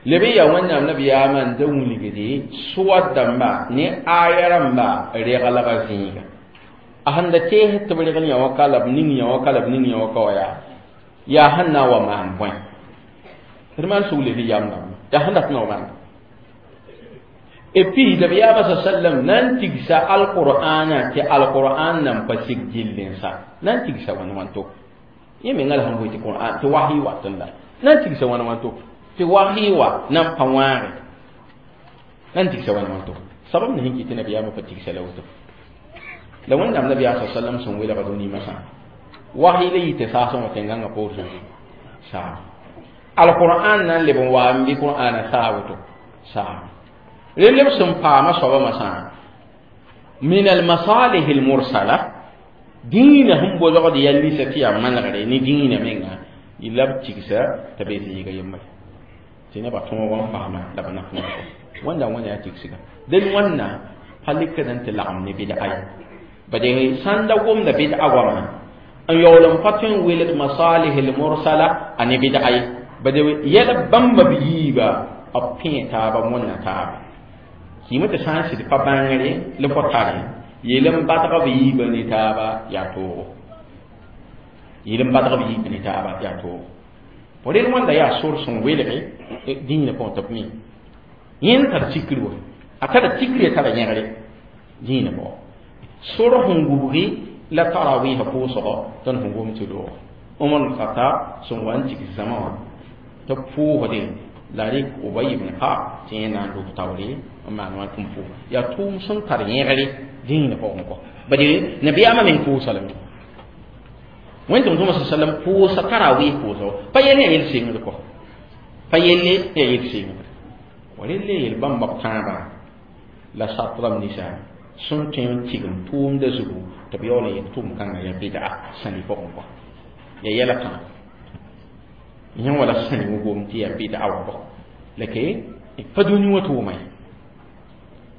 leb n yaa Wẽnnaam nabiyaamã n da wilgde soa dãmba ne aya rãmba reglga zĩiga a sẽn da teesd tɩ b regl yã wã ka la b ning yã wã ka la b ning yã wã ka wa yaa sẽn na n wa maan bõe d maan sugl tɩ yam dãmba yaa sẽn dat n wa maan et puis nabiyaamã sa sallam na n tigsa alqur'ana tɩ alqur'an nan pa sig gill n sa na n tigsa wãn wãnto yẽ menga la sẽn bʋɩ tɩ qur'an tɩ wahi watẽ la na n tigsa wãn wãnto tɩ wahi wa na n pa wãage na n tigsa wãn wãnto sabab ne sẽn kɩ tɩ nabiyaamã pa tigsa la woto la Wẽnnaam nabiyaa sa sallam sẽn welga dũni masã wahi la yɩ tɩ saasẽ wã tẽn-gãngã poor saa alqur'an na n leb n wa n bɩ qur'ana saa woto saa rel b sẽn paama soabã masã min almasalih almursala dĩinã sẽn bozgd yaa lisa tɩ yaa manegre ne dĩinã menga la b tigsa t'a be zĩiga yembre tɩ nebã tõog n paama la b naf wã wẽnda wẽna yaa tigsga dẽn wãnna pa lekd n tɩ lagem ne bɩd'a ye bade sãn da gomda bɩd'a goamã n yaool n pa tõe n welg masalih almursala a ne bɩd'a ye bade yɛl bãmba b yiiba b pẽe taaba wẽnna taaba kɩɩme tɩ sã n sɩd pa bãngre la fo tare yeel n badg b yiibã ne taaba yaa toogo yeel n badg b yiibã ne taaba yaa toogo fo rel wãnda yaa sor sẽn welge dĩinã pʋgẽ tɩ b mi yẽnd tar tikr wa a tara tikr tara yẽgre dĩinã pʋgẽ sor sẽn gubgi la tarawɩɩsã pʋʋsgɔ tõnd sẽn gom tɩ loog Umar al-Khattab sẽn wa n tigs zãma wã tɩ b pʋʋsdẽ la rɩk Ubay ibn Ka'b tɩ yẽ na n lub taoore n maan wã tɩ n pʋʋs yaa tʋʋm sẽn tar yẽgre dĩinã pʋgẽ kɔ bade nabiyaamã meng pʋʋsa lame Wẽn tʋm sallam pʋʋsa tarawih pʋʋsgo pa yell yaa yel sɩngd kɔ pa yelle yaa yel sɩngd wa relle yel bãmba b tãabã la sat rãmb ninsã sẽn tõe n tigm tʋʋmdã zugu tɩ b yaool n yet tʋʋm kãngã yaa bɩda sãni pʋgẽ kɔ yaa yɛla tãa yẽ wala sãni wã gom tɩ yaa bɩda wã kɔ la ke pa dũni wã tʋʋma ye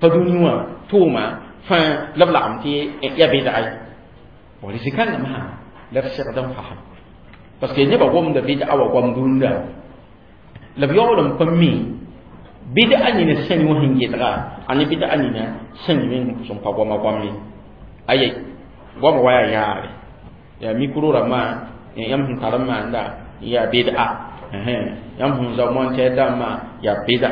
pa dũni wã tʋʋma fãa la b lagem tɩ yaa bɩda ye wa rɩ-kãngã masã la b segd n fasem parce que nebã gomda bɩda wã goam dũnda la b yaool n pa mi bɩda nina sãni wã sẽn gɩdga a ne bɩda nina sãni meng sẽn pa goama goam ye aye goama wa yaa yaare yaa mikro rãmbã yãmb sẽn tar n maanda yaa bɩda yãmb sẽn zao montɛr dãmbã yaa bɩda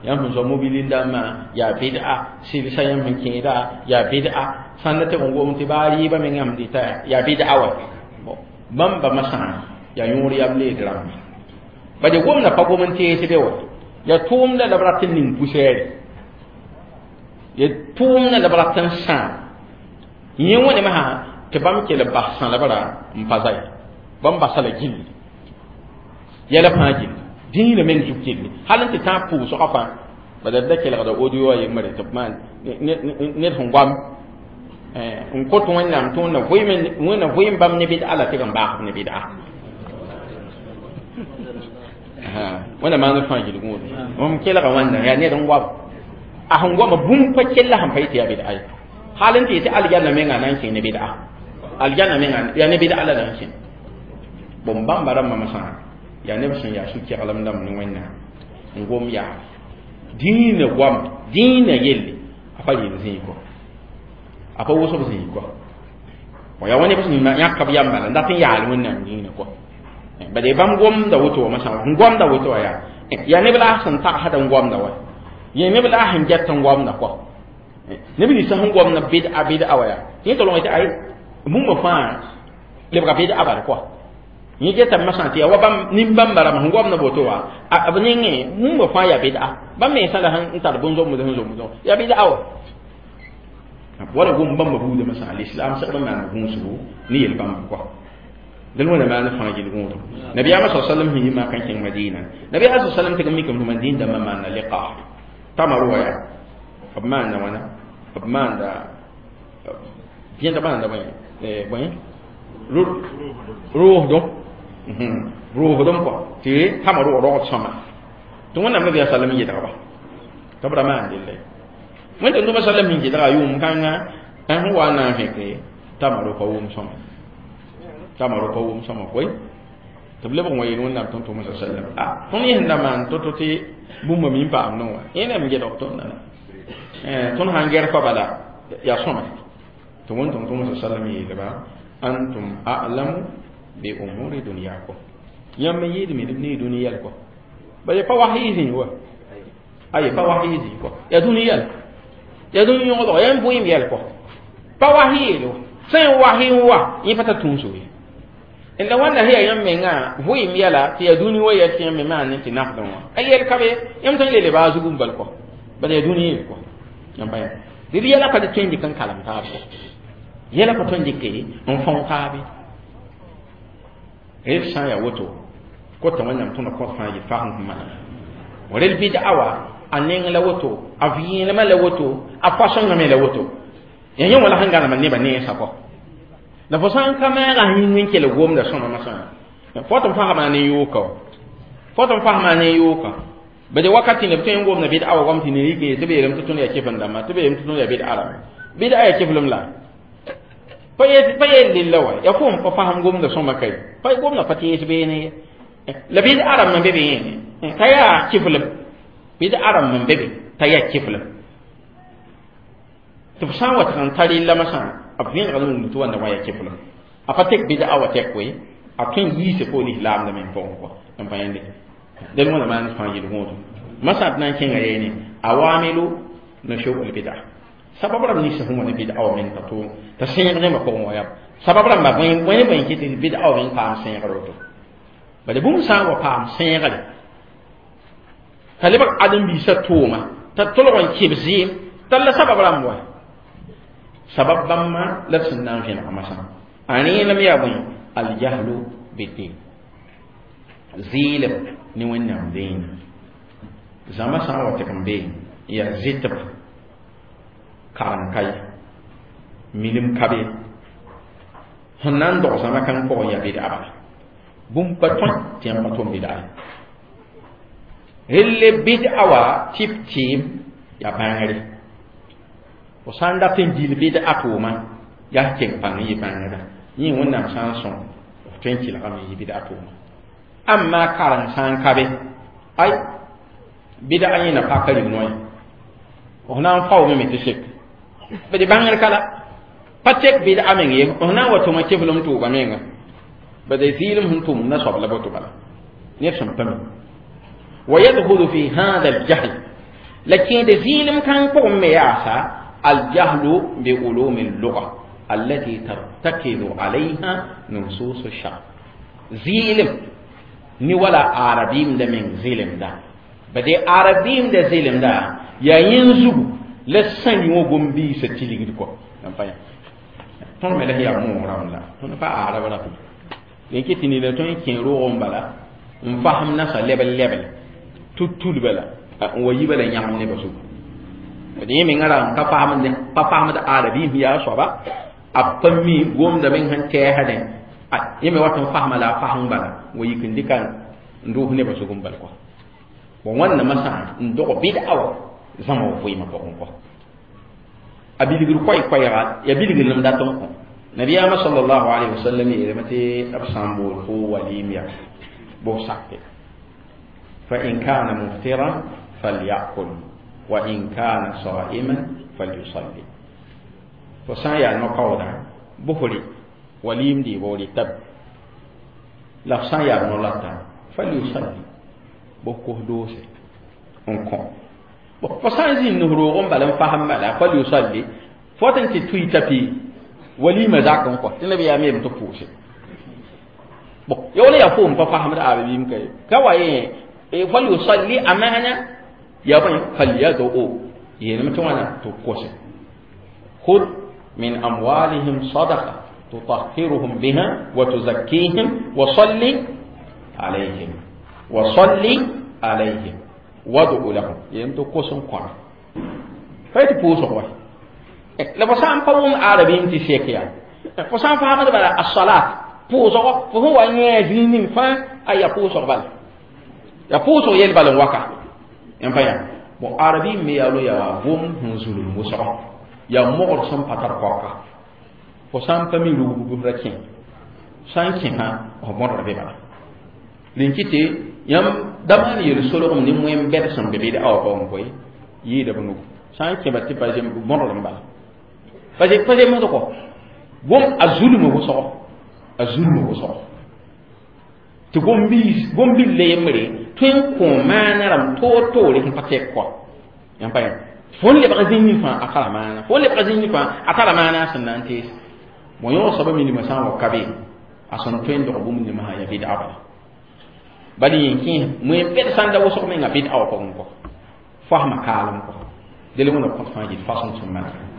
yãmb sẽn zao mobilin dãmbã yaa bɩda sɩlsa yãmb sẽn kẽeda yaa bɩda sãn da tɩg n gom tɩ baa rɩɩbã meng yãmb dɩta yaa bɩda wa bãmba masã yaa yõor yam leed rãmba bad ya gomda pa gom n tees be wa ya tʋʋmda la b rat n ning pʋsɛɛre ya tʋʋmda la b rat n sãam yẽ wã ne masã tɩ bãmb kell bas sãlb ra n pa zay bãmb basa la gilli yɛla fãa gilli dĩinã meng zug gilli hal n tɩ tãag pʋʋsgã fãa bala d da kelgda audio a yembre tɩ b maan ned sẽn goam n kõt Wẽnnaam tɩ Wẽnna vɩɩm bãmb ne bɩd'a la tɩg n baasb ne bɩd'a wẽnna maand fãa gilgũudo m kelga wãnda yaa ned n goam a sẽn goama bũmb pa kella sẽn pa yetɩ yaa bɩd'a ye hal n tɩ yetɩ aljanna menga na n kẽ ne bɩd'a aljanna menga yaa ne bɩd'a la na n kẽ bõn bãmba rãmbã masã yaa neb sẽn yaa sũ-keglem dãmb ne Wẽnnaam n gom yaa dĩinã goam dĩinã yelle a pa yel zĩig kɔ a pa wʋsb zĩig kɔ wa yaa wa neb sẽn yãk b yam bala n dat n yaal Wẽnnaam dĩinã kɔ bad bãmb gomda woto wã masã n gomda woto wã yaa neb la sẽn tagsd n gomda wa yẽ neb la sẽn get n gomda kɔ neb ninsã sẽn gomda bɩd'a bɩd'a wa yaa tɩ yẽ tɩ tɩ ay bũmba fãa lebga bɩd'a bal kɔ yẽ getame masã tɩ yaa wa bãmb nin-bãmba rãmb sẽn gomda woto wã b nengẽ bũmba fãa yaa bɩd'a bãmb mensã la sẽn tar bõn-zomd sẽn zomd yaa bɩd'a wa wala gom bãmba buudã masã lislaam segd n maana gũusgo ne yel-bãmb kɔ dẽn wẽna maan fãa gil-gũudum nabiyaamã sa sallam sẽn yi mak n kẽng Madina nabiyaamã sa sallam tɩg n mikame tɩ Madin dãmbã maanda liqah tamar wa yaa b maanda wãna b maanda gẽnd maanda bõe roosdom roosdom kɔ tɩ tamar wa rogd sõma tɩ Wẽnnaam nabiyaa sallam yedgba tɩ b ra maan delle Wẽn tɩ sallam sẽn gɩdga yʋʋm kãnga sẽn wa n na n fẽke tamaro pa wʋm sõma tamaro pa wʋm sõma koe tɩ b lebg n wa yeel Wẽnnaam tʋm-tʋmã sa sallam a tõnd yẽsẽn da maan to-to tɩ bũmba mi n paam no wã yẽ nem gedg tõndã tõnd sãn gɛr pa bala yaa sõma tɩ wẽn tʋm-tʋmã sa sallam yeelba antum a'lamu bi umuri dunyakum yãmb yɩɩdme d ne dũni yɛl kɔ ba ya pa wahyi zĩig wa aye pa wahyi zĩig kɔ yaa dũni yɛl yaa dũni yõgdg yaa n bʋɩɩm yɛl kɔ pa wahyi yeel wa sẽn wahyi n wa yẽ pa tar tũuso ye la wãnda sẽn yaa yãmb mengã vʋɩɩm yɛla tɩ yaa dũni wa yɛl tɩ yãmb me maan ne tɩ nafdẽ wã a yɛl ka be yãmb tõe n le lebaa zugum bal kɔ bala yaa dũni yeel kɔ yãmb pa yã dɩd yɛla pa tõe n dɩk n kalem taab kɔ yɛla pa tõe n dɩke n fão taabe rel sã n yaa woto kota Wẽnnaam tõnd kõt fãa yɩ fasem sẽn maana rel bɩd'a wa a neng la woto a vẽenemã la woto a fasõngã me la woto yaa yẽ wã la sẽn gãnemã nebã nensã kɔ la fo sã n ka maagã yĩng n kell gomda sõma masã fo tɩ n fasma ne yooka fo tɩ n fasma ne yooka bade wakati ne b tõe n gomda bɩd'a wa goam tɩ ne rɩk tɩ b yeelame tɩ tõnd yaa kefn dãmba tɩ b yeelame tɩ tõnd yaa bɩd'a rãmba bɩd'a yaa keflem la pa yel lilla wa yaa fo n pa fasem gomda sõma ka ye pa gomda pa tees beene ye la bɩd'a rãmb n be be yẽne t'a yaa keflem bɩd'a rãmb n be be t'a yaa keflem tɩ b sã n wa tɩg n ta rella masã b vẽeneg n wʋmd tɩ wãnda wã yaa keflem a pa tek bɩd'a wa tɛk koe a tõe n yiise fo lislaamdã meng pʋgẽ kɔ n pa yẽnde dẽn wãna maan fãa yel-gũudum masã d na n kẽnga yeene awamilu nushub al bid'a sabab rãmb ninsã sẽn wa ne bɩd'a wã meng t'a sẽeg rẽmbã pʋgẽ wa yaa sabab rãmba bõe bõe kɩ tɩ bɩd'a wã meng paam sẽegr woto bala bũmb sã n wa paam sẽegre t'a lebg ãdem-biisã tʋʋma t'a tolg n kɩb zɩɩm t'a la sabab rãmb wa sabab bãmba la d sẽn na n vẽnega masã a rẽenem yaa bõe Aljahlu bidin zɩɩlem ne Wẽnnaam dĩinã zãma sã n wa tɩk n bee yaa zɩtb karem ka ye milim ka be sẽn na n dog zãma kãng pʋgẽ yaa bɩd'a bala bũmb pa tõe tɩ yãmb pa tʋm bɩd'a ye relle bɩd'a wa tɩ b tɩɩm yaa bãngre fo sã n dat n gil bɩd'a tʋʋma yaa keng pãng n yɩ bãngrã yẽ Wẽnnaam sã n sõng f tõe n kelgame n yɩ bɩd'a tʋʋma amma kareng sã n ka be ay bɩd'a yẽna paka rig noya f na n faoome me tɩ sek bd bãngr ka la pa tek bɩd'a meng ye f na n wa tʋma keflem tʋʋga menga bd zɩɩlem sẽn tʋm na soab la boto bala ned sẽn pa mi ويدخل في هذا الجهل لكن زيلم كان قوم مياسا الجهل بعلوم اللغة التي ترتكز عليها نصوص الشرع زيلم ni wala arabim da men zilim da bade arabim da zilim da yayin zugu la san yo gombi sa tiligid ko nan pa tõnd me la yaa moog rãmb la tõnd pa arab ra len tɩ nina tõe n kẽ roog n bala n fasem nasa lebl lebl tud bala n wa yi bala yãgem nebã zugu d yẽ menga ra n ka pa fasemd arabim yaa soaba a pa mi gomda meng sẽn tɛɛsdẽ yẽ me wat n fasma la a fasem bala wa yik n dɩka n doos nebã zug n bal kɔ bon wãnnamã sã n dog bɩd'a wa zãma wa vɩɩmã pʋgẽ kɔ a bilgr koɛɛ-koɛɛga ya bilgr lem dat n kõ nabiyaamã sallallahu alaihi wasallam yeelame tɩ b sã n bool fo walim ya bʋ sake fa in kana muftiran falyakul wa in kana saiman falyusalli fo sã n yaa no-kaooda bʋsre walim dɩɩ bo rɩ tab la f sã n yaa no-lata falyusalli bʋ kos doose n kõ fo sã n zĩnd roog n bala n fasem bala falyusalli fo wat n tɩ tʋɩ tapi walima zak n kɔ tɩ nabiyaam yeelame tɩ pʋʋse bon ya wala yaa foom pa fasemd arabim ka ye ka wa yẽ falyusalli a maana yaa bõe falyad'u yeelame tɩ wãna tɩ kose khud min amwalihim sadaqa tutahhiruhum biha wa tuzakkihim wa salli alayhim wa salli alayhim wad'u lahum yeelame tɩ kos n kõra pa tɩ pʋʋsg wa la fo sã n pa wʋm arabim tɩ sek yaa fo sã n faamd bala as-salat pʋʋsg fo sẽn wa yẽ zĩig ning fãa a yaa pʋʋsg bala yaa pʋʋsg yel bal n waka n pa yaa bon arabim me yaa lo yaa gom sẽn zulum wʋsgo yaa mogd sẽn pa tar paoka fo sã n pa mi rugb ra kẽ sã n kẽsã f bõdg be bala rẽn kɩ tɩ yãmb da maan yel-solgem ne wẽn-bɛd sẽn be bɩd'a wã pʋgẽ koe yɩɩda b nugu sã n kẽba tɩ pa bõdg n bala pa zemsd kɔ gom a zulm wʋsgo a zulm wʋsgo tɩ gom-bil la yembre tõe n kõ maana rãmb toor-toore sẽn pa tɛk kɔ yãmb pa yã fo n lebg zĩig ning fãa a tara maana fo n lebg zĩig ning fãa a tara maana a sẽn na n tees bon yõ soaba minimã sã n wa ka be a sẽn tõe n dog bũmb ningã sã yaa bɩd'a bala bala yẽ kẽes wẽn-bɛd sã n da wʋsg menga bɩd'a wã pʋgẽ kɔ fasma kaalem kɔ del wẽna kõt fãa yɩl fasem sẽn manega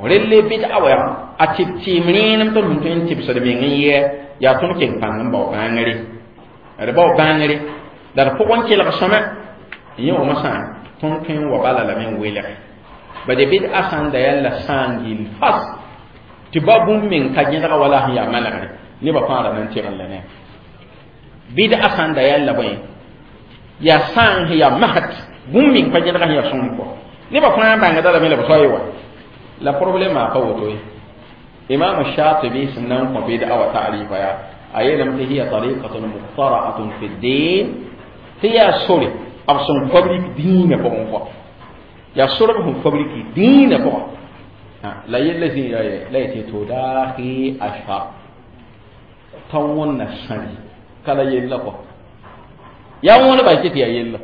relle bɩd'a wa a tɩ tɩɩm rẽenem tõnd sẽn tõe n tɩbsd meng n yɛ yaa tõnd keng pãng n bao bãngre d bao bãngre la d pʋgẽ kelg sõma yẽ wã sã tõnd tõe n wa bala lame n welge bade bɩd'a sã n da yaa la sã n gill fas tɩ ba bũmb meng ka gẽdga wala sẽn yaa manegre nebã fãa ra na n tɩgn la ne bɩd'a sã n da yaa la bõe yaa sã n yaa masd bũmb meng pa gẽdga sẽn yaa sõng kɔ nebã fãa bãngda lame la b soa ye wa la problème a pa woto ye imam shatibi sẽn na n kõ bɩd'a wa ta'rifa yaa a yeelame tɩ hiya tariqatun mukhtara'atun fi ddin tɩ yaa sore b sẽn fabriki dĩinã pʋgẽ kɔ yaa sorb sẽn fabriki dĩinã pʋgã la yella zĩ la yetɩ tudahi ashar t'a wõnna sãri ka la yella kɔ yaa wõneba tɩ tɩ yaa yella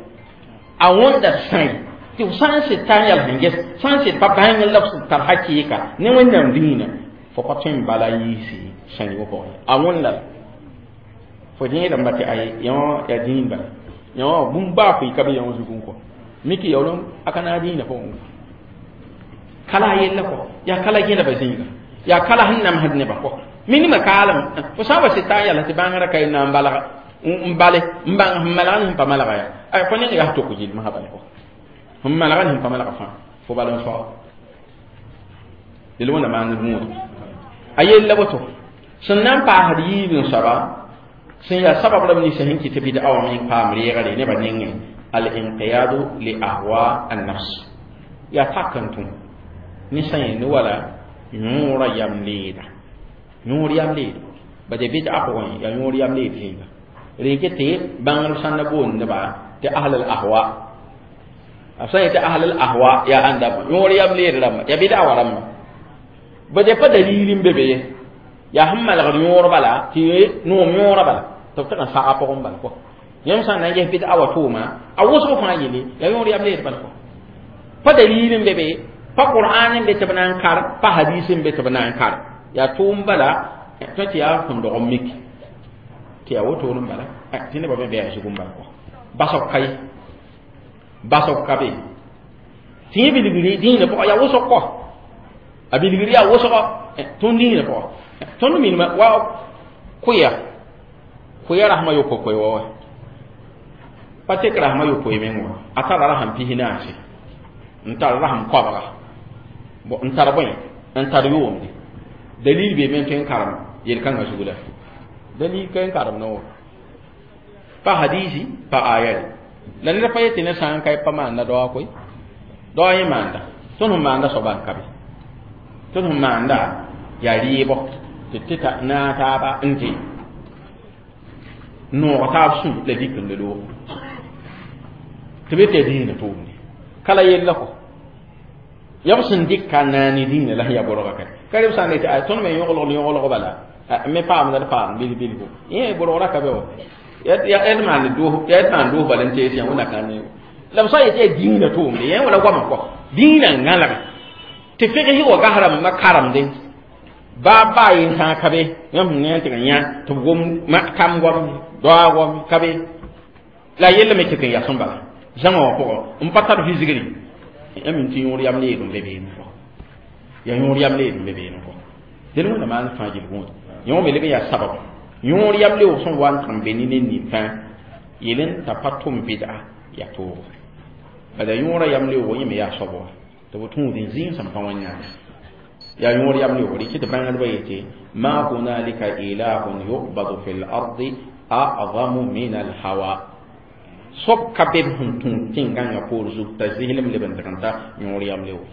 a wõnda sãri tɩ f sã n sɩd tar yɛl sẽn ges sã n sɩd pa bãng la f sẽn tar hakɩɩka ne Wẽnnaam dĩinã fo pa tõe n bala yiisi sãri wã pʋgẽ a wõnda la fo yẽedame tɩ ay yõ yaa dĩin bala yõ bũmb baa fo ka be yõ zugẽ kɔ miki yaoolem a ka naag dĩinã pʋgẽ kala a yella kɔ yaa kala gẽdba zĩiga yaa kala sẽn namsd nebã kɔ Minima kaalem fo sã n wa sɩd t'a n yala tɩ bãngrã ka na n balga n bale n bãng sẽn malga ne sẽn pa malga ya ay fo neng yaa tok gilmsã bala sẽn malga ne sẽn pa malga fãa fo bal n soa del wẽnda maand rũuda a yella woto sẽn na n paasd yiib n soaba sẽn yaa sabab rãmb ninsã sẽn kɩt bɩd a wã meng paam reegre nebã nengẽ al inqiyadu li ahwa an nafs yaa tak n tũ ne sã yẽnd wala yõora yam leeda yõor yam leed ba de bɩd a pʋgẽ yaa yõor yam leed zĩnga rẽn tɩ bãngr sãn na boondba tɩ ahl al ahwa b sã n yetɩ ahl al ahwa yaa ãndame yõor yam leed rãmba yaa bɩd a wa rãmba ba de pa dalil n be be ye yaa sẽn malgd yõor bala tɩ noom yõora bala tɩ b tɩg n saga pʋgẽ bala kɔ yãmb sã n na n ges bɩd a wa tʋʋma a wʋsg fãa yelle yaa yõor yam leed bala kɔ pa dalil n be be pa qur'an n be tɩ b na n kar pa hadis n be tɩ b na n kar yaa tʋʋm bala tõe tɩ yaa sẽn dog n mik tɩ yaa wotone n bala tɩ nebã me bɩ a zug n bala kɔ basg ka ye basg ka be tɩ yẽ bilgri dĩinã pʋgã yaa wʋsg kɔ a bilgri yaa wʋsgɔ tõnd dĩinã pʋgã tõnd minima wa kʋya kʋya rasmã yopoe wa wa pa tek rasmã yopoe meng wa a tara rasam pis naase n tar rasam koabga n tar bõe n tar yoomde dalil be men tõe n karem yel-kãngã zug la dalil ka n karem no pa hadisi pa aya la ned pa yetɩ ne sã n ka pa maanda daoa koe daoa yẽ maanda tõnd sẽn maanda soaba n ka be tõnd sẽn maanda yaa rɩɩbɔ tɩ tɩ ta naag taaba n tɩ noog taab sũ la dik n la loog tɩ be tɩ yaa dĩinã tʋʋmde ka la yella kɔ yaa b sẽn dɩk ka naane dĩinã la sẽn yaa borga ka ka reb sã n yetɩ tõnd me yõglg yõglg bala me paamda d paam bil bilgo yẽ borgra ka be wa yaa d maan doos bala n tees yã wẽnna kãn la b sã n yetɩ yaa dĩinã tʋʋmde yẽ wala goamã kɔ dĩinã n gãlge tɩ fɩgs wa gasrãmba karemde baa baa yen sã ka be yãmb sẽn ne n tɩg n yã tɩ b gom kam goam doa goam ka be la yella me tɩ n yas n bala zãma wã pʋgẽ n pa tar visgre yãmb tɩ yõor yam leed n be beene kɔ yaa yõor yam leed n be beene kɔ del wẽnna maan fãa gil gũud yõ me leb n yaa sabab yõor yam leoog sẽn wa n tɩg n be ne ned nin fãa yel n t'a pa tʋm bɩda yaa toogo bala yõora yam leoogo yẽ me yaa soab wa tɩ b tũud n zĩig sẽn pa wẽnnaam yaa yõor yam leoog rɩkɩ tɩ bãngdbã yetɩ ma hunalika ilahun yubadu fi l ardi a'zamu min alhawa soab ka be b sẽn tũud tẽn-gãngã poor zug t'a zɩslem leb n tɩg n ta yõor yam leoog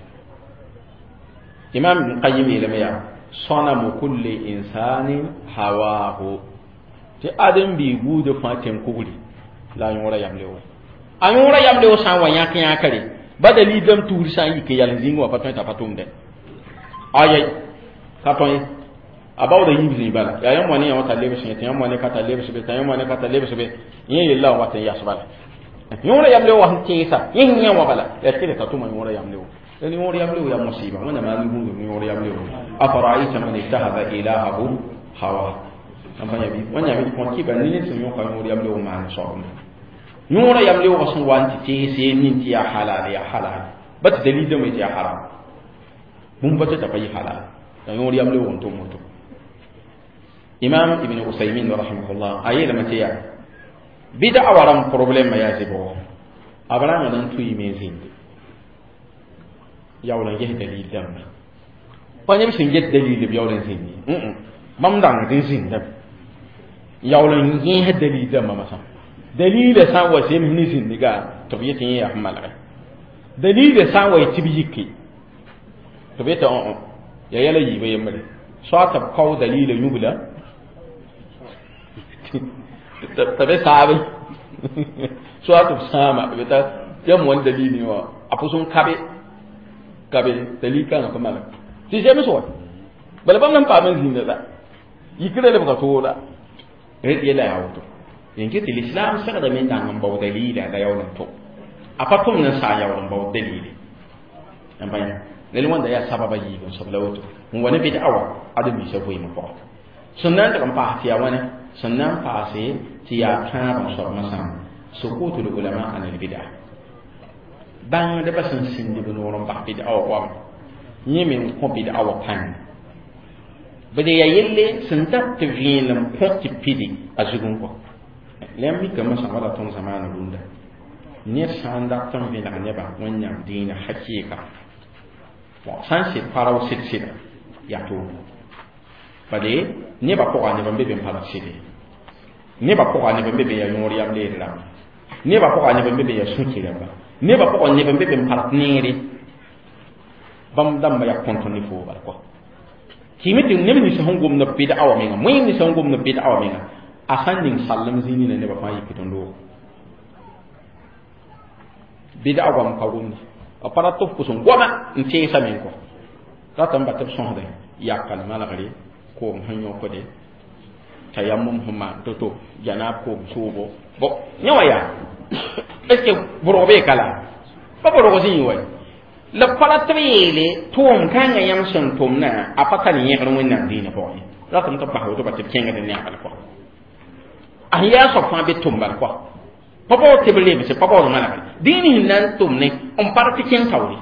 imam ibn qayyim yeelame yaa sanamu kulli insanin hawahu tɩ ãdem-biig buudã fãa tẽn-kugri la a yõora yam leoog a yõora yam leoog sã n wa yãk yãkre ba dalil dãmb tuur sã n yik n yal n zĩng wã pa tõe t'a pa tʋmdẽ ayai ka tõe a baooda yiib zĩig bala yaa yãmb wa ne yã t'a lebs yẽ tɩ yãmb wa ne ka t'a lebs be t'a yãmb wa ne ka t'a lebs be yẽ yella n wat n yas bala yõora yam leoog wa sẽn tẽesa yẽ sẽn yã wã bala yaa tɩ t'a tʋma yõora yam leoog yani yõor yam leoog yaa musiba wẽnna maan gũudum yõor yam leoog afara'ayta man ittakhadha ilahahu hawa wẽnnaam yã kõ kɩba ne ned sẽn yõka yõor yam leoog maan soabme yõora yam leoogã sẽn wa n tɩ tees nin tɩ yaa halal yaa halal ba tɩ dalil dãmb tɩ yaa haram bũmb pa tɩ t'a pa yɩ halal la yõor yam leoog n tʋm woto imam ibn usaymin rahimahullah a yeelame tɩ yaa bɩda wa rãmb problɛmã yaa zɩbgo a b rãnga na n tʋɩɩme n zĩnde yaool n ges dalil dãmba pa neb sẽn get dalil b yaool n zĩnd ye bãmb dãngd n zĩndame yaool n yẽes dalil dãmbã masã dalila sã n wa zems ne zĩndga tɩ b yetɩ yẽ yaa sẽn malge dalila sã n wa tɩ b yike tɩ b yetɩ yaa yɛla yiibã yembre soa tɩ b kao dalila yũbla t'a be saabe soa tɩ b sãama b yeta yãmb wa n dalil wã a pʋs n kabe kabe dalil kãngã pa malg tɩ zems wa bala bãmb nan paam n zĩnda la yikrã lebga tooda rẽd yɛla yaa woto yẽn tɩ l'islam segdame n dang n bao dalila la yaool n tʋ a pa tʋmd n saa yaool n bao dalile n pa yã lel wãnda yaa sababa yiib n soab la woto n wa ne bɩd awa ãdem-biisã vɩɩmã pʋgã sẽn na n tɩg n paas tɩ yaa wãne sẽn na n paase tɩ yaa tãab n soab masã sukutul ulama an albida bãngdbã sẽn sĩnd b noor n bas bɩd awa goam yẽ me n kõ bɩd awa pãng Bade ya yelle sẽn dat tɩ vẽenem kõ tɩ pidi a zugẽ kɔ la yãmb mikame sã wala tõnd zamaana rũndã ned sã n dat n vẽlg nebã Wẽnnaam dĩinã hakɩɩka bon sã n sɩd pa rao sɩd sɩda yaa toore bade nebã pʋga neb n be be n pa rat sɩd ye nebã pʋga neb n be be yaa yõor yam leed rãmba nebã pʋga neb n be be yaa sũ-ki rãmba nebã pʋga neb n be be n pa rat neere bãmb dãmba yaa kõnt ne foo bala kɔ kɩɩme tɩ neb nins sẽn gomd b bɩd'a wã menga moẽem nins sẽn gomd b bɩd'a wã menga a sã n ning sallem zĩig nina nebã fãa yikd n loog bɩd'a goam ka gomde b pa rat tɩ f pʋs n goama n teesame n kɔ rat n ba tɩ b sõsdẽ yakal malgre koom sẽn yõkde tayammum sẽn maan to-to janaab koom soobo bon yẽ wã yaa est ce que bʋrg bee ka la pa bʋrg zĩig wa la pa rat tɩ b yeele tʋʋm kãngã yãmb sẽn tʋmdã a pa tar yẽgr Wẽnnaam dĩinã pʋgẽ ye ratame tɩ b bas woto ba tɩ b kẽngd n neabal kɔ a sẽn yaa soab fãa be tʋm bal kɔ pa baood tɩ b lebse pa baood malgre dĩin sẽn na n tʋm ne n pa tɩ kẽng taoore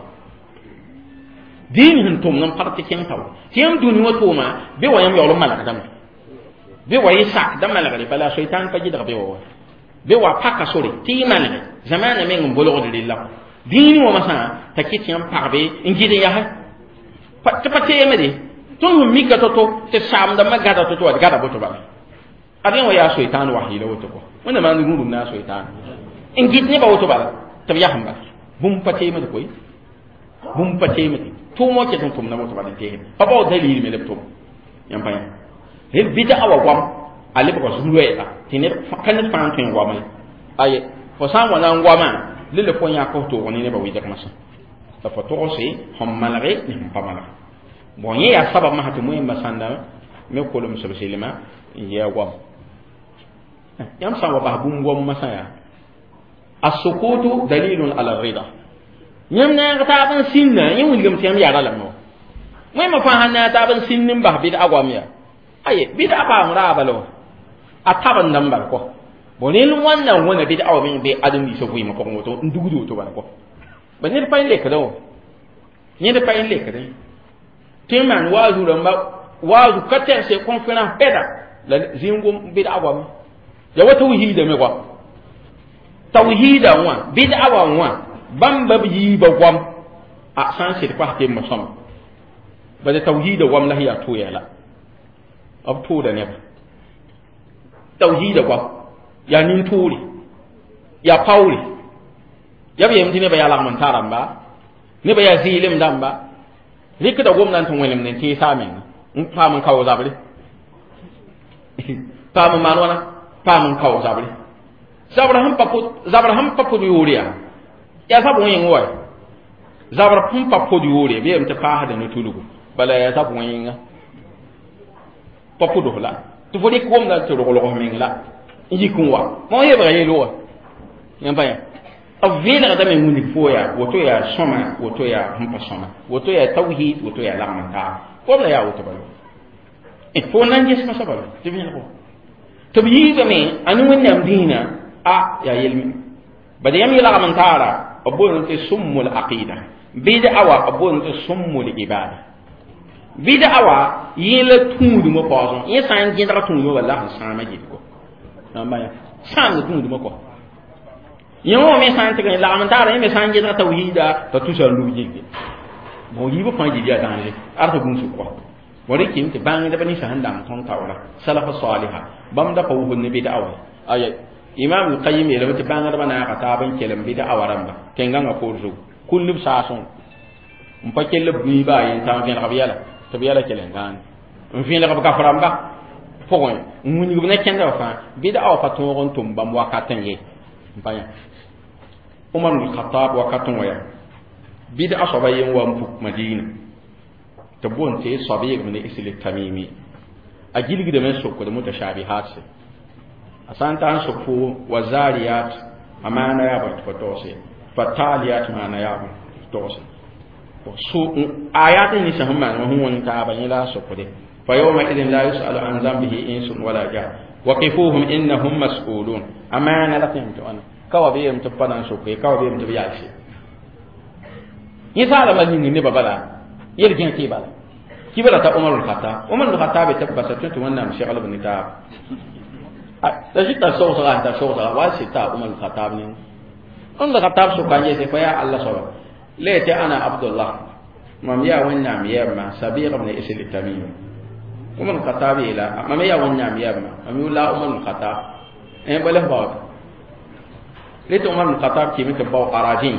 dĩin sẽn tʋmd n pa tɩ kẽng taoore tɩ yãmb dũni wã tʋʋma be wa yãmb yaool n malgdame be wa yɩ sakda malgre bala soitan pa gɩdg be wa wa be wa paka sore tɩ yɩ malge zamaana meng n bolgd rella kɔ dĩin wã masã t'a kɩt yãmb pagbe n gɩd n yase tɩ pa teemde tõnd sẽn mika to-to tɩ saamdãmbã gada to-to wa d gada boto bala ad yẽ wã yaa soitan wasɩɩla woto kɔ Wẽnnaam maan rũdum na a soitan n gɩd nebã woto bala tɩ b yas n bala bũmb pa teemd koe bũmb pa teemd tʋʋm wã ket n tʋmda woto bala n teesd pa baood dalil me la b tʋm yãmb pa yã rel bɩd'a wa goam a lebga zu-roɛɛga tɩ ned ka ned fãa n tõe n goama ye aye fo sã n wa na n goamã lele fo yãk f toog ne nebã wɩdg masã la fo togse sẽn malge ne sẽn pa malge bon yẽ yaa sabab masã tɩ moẽmbã sãnda me kolems b sɩlmã n yɩ a goam yãmb sã n wa bas bũmb goam masã yaa السكوت دليل على الرضا yãmb naag taab n sĩnda yẽ wilgame tɩ yãmb yara lame wa wẽnnaam fãa sãn naag taab n sĩnd n bas bɩd'a goam yaa aye bɩd'a paam raaba la wa a tabendame bal kɔ bon rẽnd wãnna n wẽna bɩd'a wã meng bɩ ãdem-biisã vɩɩmã pʋgẽ woto n dugd woto bala kɔ ba ned pa n lekdã wã ned pa n lekdẽ tɩ n maan waazu rãmba waazu ka tɛgse conférence pɛda la zĩig bɩd'a goame ya wa tawhiida me goam tawhiida wã bɩd'a wã wã bãmba b yiibã goam a sã n sɩd kos tembã sõma bala tawhiida goam la sẽn yaa tʋ la b tʋʋda neba tawhiida goam yaa nin-tʋʋre yaa paoore yaa b yeem tɩ nebã yaa lagm n ta rãmba nebã yaa zɩɩlem dãmba rɩkda gomdã n tɩ wẽnemd n tẽesa a menga n paam n kao zabre paam n maan wãna paam n kao zabre zabr sẽn pa pʋd yoor yaa yaa zab wẽng wa zabr sẽn pa pʋd yoore bɩ yeem tɩ paasda ne tudgu bala yaa zab wẽnga pa pʋds la tɩ fo rɩk gomdã tɩ roglg meng la n yik n wa ma yebga yel wa yãmb pa yã b vẽenegdame wilg fo yaa woto yaa sõma woto yaa sẽn pa sõma woto yaa tawhid woto yaa lagm n taab goam la yaa woto bala fo na n ges masã bala tɩ vẽeneg tɩ b yiibame a ne Wẽnnaam dĩinã a yaa yel bad yãmb yelgm n taara b boond tɩ summul aqida bɩd'a wa b boond tɩ summul ibada bɩd'a wa yẽ la tũudmã paoosẽ yẽ sã n gẽdg tũudmã walla sẽn sãama gilgo sãamd tũudmã kɔ yẽ wã me sã n tɩg n lagm n taara yẽ me sã n gẽdg tawhiida t'a tusa n lub gilge bon yiibã fãa gil yaa dãnge ad tɩ gũusg kɔ bon rɩkɩm tɩ bãngdb ninsã sẽn dang tõnd taoora salafa saliha bãmb da pa wʋsd ne bɩd'a wa aya imam al-Qayyim yeelame tɩ bãngdbã naaga taab n kelem bɩd'a wa rãmba tẽn-gãngã poor zugu kũnd b saasẽ n pa kell b gũiba a yen tã n vẽlg b yɛla tɩ b yɛla kell n gãane n vẽlg b gaf rãmba pʋgẽ n wilg b ne kẽndbã fãa bɩd'a wa pa tõog n tʋm bãmb wakatẽ ye n pa yã Umar ibn Khattab wakatẽ wã yaa bɩd'a soaba yen wa n puk Madina tɩ boond tɩ soab yegm ne Isl Tamimi a gilgdame n sokd mutashabihat se a sã n ta n sok fo wa zariyat a maana yaa bõe tɩ fo togse fataliyat maana yaa bõe tɩ fo togse so ayat ninsã sẽn maan wã sẽn wẽng taaba yẽ la a sokde fa yawmaidin la yusalu an zambihi insun wala jan waqifuhum innahum mas'ulun a maana la tɩ yãmb tɩ wãna ka wa b yeelame tɩ b pa na n soke ka wa b yeelame tɩ b yalse yẽ saalama ning nebã bala yel gẽ tɩ bala Kibra ta Umar al-Khattab. Umar al-Khattab ta basa tun wannan shegal bin ta. La jita sawsa ta sawsa wa sita Umar al-Khattab ne. Umar al-Khattab so kanje se fa ya Allah sawa. Lati ana Abdullah. Mam ya wannan yamma Sabiq ibn Isil al-Tamimi. Umar al-Khattab ila mam ya wannan yamma mam la Umar al-Khattab. En bala ba. Lati Umar al-Khattab ki mita baw arajin.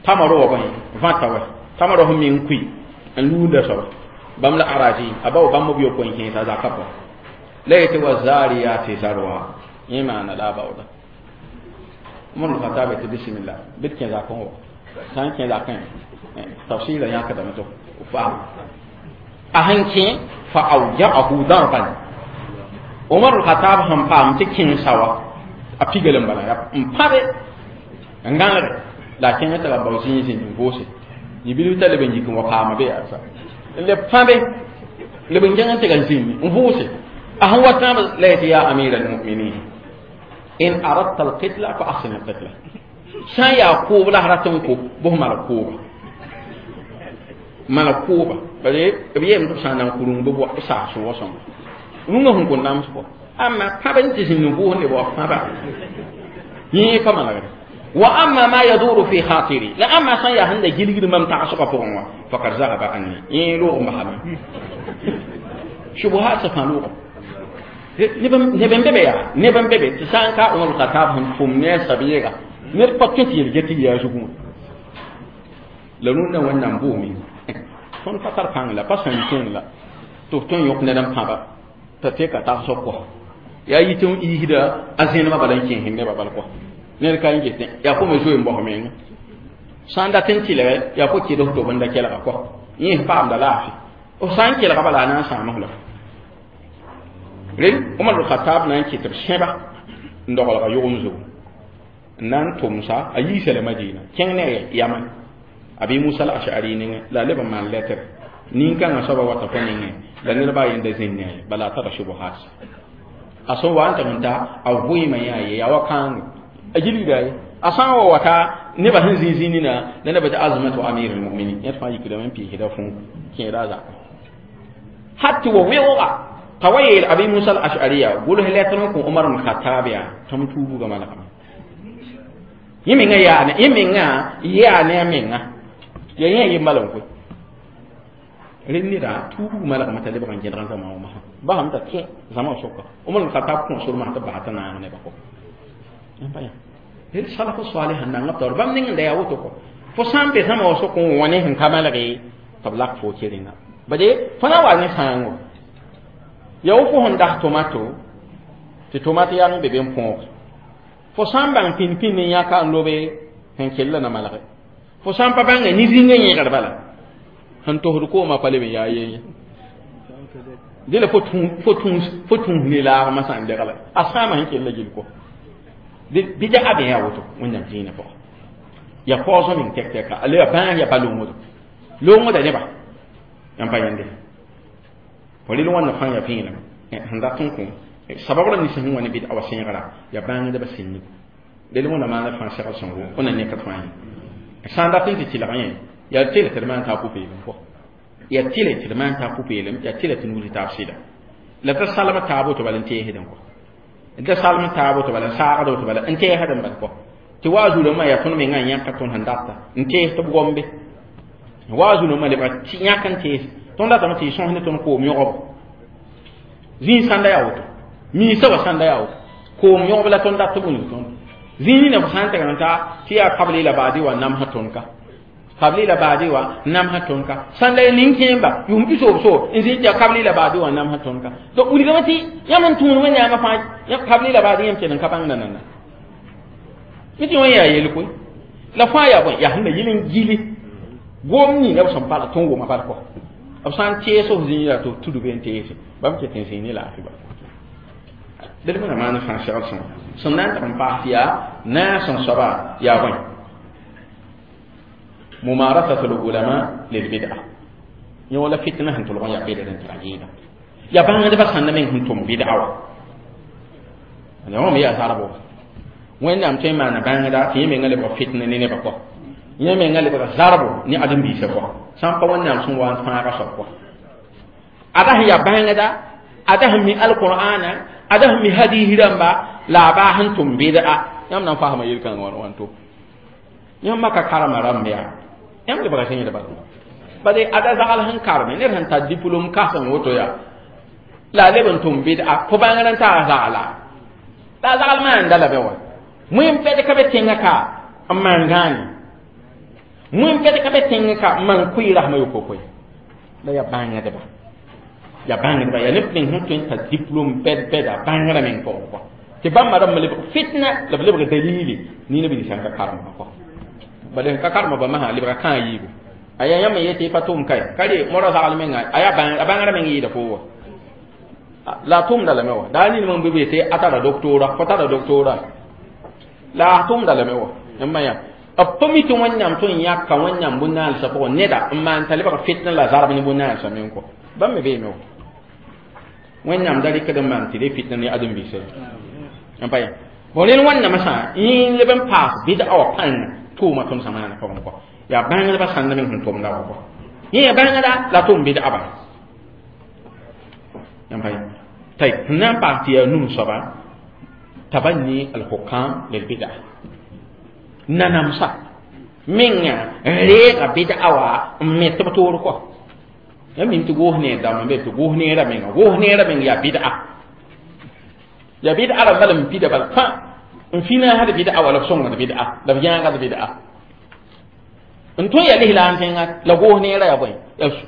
Tamaro wa bai vata wa. Tamaro hum min kui. An lunda sawa. Bam la araji abaw bam biyo ko hin sa zakapa layti wa zariyati zarwa imana la bawda mun khatabe ti bismillah bitkin zakon wa san kin zakan tafsira ya kada mutu fa ahanki fa awja'ahu darban Umar al-Khattab ham pam ti kin sawa a pigelem bala ya mpabe ngangare la kin ta la bawsin sin bose ni bilu taleben yikin wa pama be asa le pambe le benjangan te ganzimi mvuse ahwa tam la ya amir almu'minin in aradta alqitla fa ahsin alqitla san ya ko la haratin ko bo mala ko mala ko bare biye mtu sanan kurun bo bo sa so wasan nunga hun ko nam so amma paben ti sin bo ne bo paba ni pa mala وأما ما يدور في خاطري لا أما سان يا هند جيلغ مم تعصب فوقوا فقد ذهب عني إيه لو محمد شبهات سفانوغ نبن بيبي يا نبن بيبي تسان كا عمر الخطاب هم فمني سبيغا نربط كتير جتي يا شكون لنونا ونام بومي فون فتر بان لا باسن كين لا تو تون يوك ندم بابا تتيكا تعصب يا يتون إيهدا أزين ما بلان كين هن بابا كو ned ka n get yaa fo me zoe n bos meng sã n dat n tɩlge yaa fo kɩd f tob n da kelga kɔ yẽ paamda laafɩ f sã n kelga bala a na n sãam la rel Umar al-Khattab na n kɩt b sẽba n dogelga yʋgem zugu n na n tʋmsa a yiisa la Madina kẽng ne Yaman Abi Musa al-Ash'ari nengẽ la a leb n maan lɛtr nin-kãngã soaba wata fo nengẽ la nedba a yenda zĩnd ne bala a tara shubuhat a sẽn wa n tɩg n ta a vɩɩmã yaa ye yaa wa kãango ajili dai asan wa wata ne ba hin zinzini na na ba ta azmatu amirul mu'minin ya fa yikida man fi hida fun ke raza hatta wa wiqa tawayil abi musa al-ash'ariya gul halatan ku umar al-khattab ya tam tubu ga malaka yiminga ya ne yiminga ya ne minga ya yin yin malan ku rinni da tubu malaka mata le ban gidan zama ma ba hamta ke zama soka umar al-khattab kun sur ma ta ba ta na ne ba ko baya hel salafu salih nan ngab bam ning da yawo to ko fo sambe sama waso ko woni hin kamala ge tablak fo kirina bade fana wa ni sango yawo fo hon dah tomato ti tomato yang be ben pon fo sambang pin pin ni yaka lobe hen kella na malaka fo sampa bang ni zinga ni garbala han to hur ko ma pale be yaye dele fo tun fo tun fo tun ni la ma san de gala asama hen kella jil ko bida abe ya woto wannan dina po ya pozo min tek tek ale ya ban ya balongo longo da ne ba yan pa yende poli lo wannan fan ya fina handa tun ko sababu ni sin wani bida awasin gara ya ban da basin ni de lo na ma na fan shaka songo ona ne ka tfani sanda tin ti la yen ya tele terman ta pupe ko ya tele terman ta pupe ya tele tunu ta tafsida la ta salama ta bo to balante hedan ko da salma taabo to bala saaqado to bala n teesa dãmb bal kɔ tɩ wa a zulumã yaa tõnd mengã yãka tõnd sẽn data n tees tɩ b gombe wa a zulumã lebga yãk n tees tõnd datame tɩ y sõs ne tõnd koom yõgb zĩig sãnda yaa woto miisã wa sãnda yaa woto koom yõgb la tõnd dat tɩ b wilg tõnd zĩig nina fo sã n tɩg n ta tɩ yaa kabli la baadi wa namsã tõnd ka kabli la baadi wa namsã tõnd ka sãnda ya nin-kẽemba yʋʋm pisoobso n zĩig tɩ yaa kabli la baadi wa namsã tõnd ka donc wilgame tɩ yãmb n tũud wẽnnaamã fãa ya kabli la baadi yãmb kell n ka bãng nanana mi tɩ wã yaa yel koe la fãa yaa bõe yaa sẽn da yɩl n gili gom nina b sẽn pala tõnd wʋma bal kɔ b sã n tees f zĩig yaa tɩ f tudb n teese bãmb ket n zĩig ne laafɩ bal d mina maan fãa segl sõma sẽn na n tɩg n paas tɩ yaa naas n soaba yaa bõe ممارسة العلماء للبدعة يولا فتنة هن تلغون يا بدعة تراجينا يا بان هذا بس هن من هنتم بدعة أنا هم يا ساربو وين نعم تيم أنا بان هذا في من قال فتنة نيني بقى يمين قال بقى ساربو ني أدم بيسبوا سامبا وين نعم سون وان فانا كسبوا Ada ya bãngda, ada mi alqur'ana, ada mi hadith rãmba, la a baas n tʋm bɩd'a. Yãmb na n fasma yel-kãngã wã wãnto. Yãmb maka karema rãmb yaa. Yãmb lebga sẽn bala. Bale ada zagal sẽn karme, ned sẽn tar diplôme kãsem woto yaa. La a leb n tʋm bɩd'a, fo bãngr n taa zagla. La a zagl maanda la bɛ wa. Wẽn pɛd ka be tẽngã ka n maan gãane. Wẽn pɛd ka be tẽngã ka n maan kʋɩ rasmã yokokoe. La yaa bãngdba. Ya bãngdba yaa neb ning sẽn tõe n tar diplôme bɛd bɛda bãngrã meng pʋgẽ kɔ. Tɩ bãmba rãmba lebg fitna la b lebg dalili nina b sãn ka karemba kɔ. Bala sẽn ka karema ba masã lebga kãa yiibu. A yaa yãmb n yetɩ pa tʋm kae ka re moarã zagl menga a yaa a bãngrã meng yɩɩda fo wa. La a tʋmda lame wa. Daa nin meng bɩ yetɩ a tara doctora, fo tara doctora. La a tʋmda lame wa. Yãmb yaa b pa mi tɩ Wẽnnaam tõe n yãka Wẽnnaam bõn-naalsã pʋgẽ neda n maan t'a lebg fitna la zarb ne bõn-naalsã meng kɔ. Bãmb me beeme wa. Wẽnnaam da rɩkd n maan tɩ re fitna ne ãdem-biisã. N pa yã. Bon rẽnd Wẽnnaamã sã yẽ leb n paas bɩd'a wã pãnga tʋʋma tõnd sã maana pʋgẽ kɔ. Yaa bãngdbã sãnd meng sẽn tʋmda wã kɔ. Yẽ yaa bãngda la tʋm bɩd'a bala. N pa yã. Tɩ sẽn na n paas tɩ yaa num soaba tabanni al-hukam lil bid'a. Nanamsa menga n reega bɩd'a wã n me tɩ b toor kɔ. Yãmb mim tɩ goos neer dãmb n be tɩ goos neerã menga goos neerã meng yaa bɩd'a. Yaa bɩd'a rãmba la m pida bala fãa n finaasd bɩd'a wala b sõngd bɩd'a la b yãagd bɩd'a. N tõe yaa lislaam tẽnga la goos neerã yaa bõe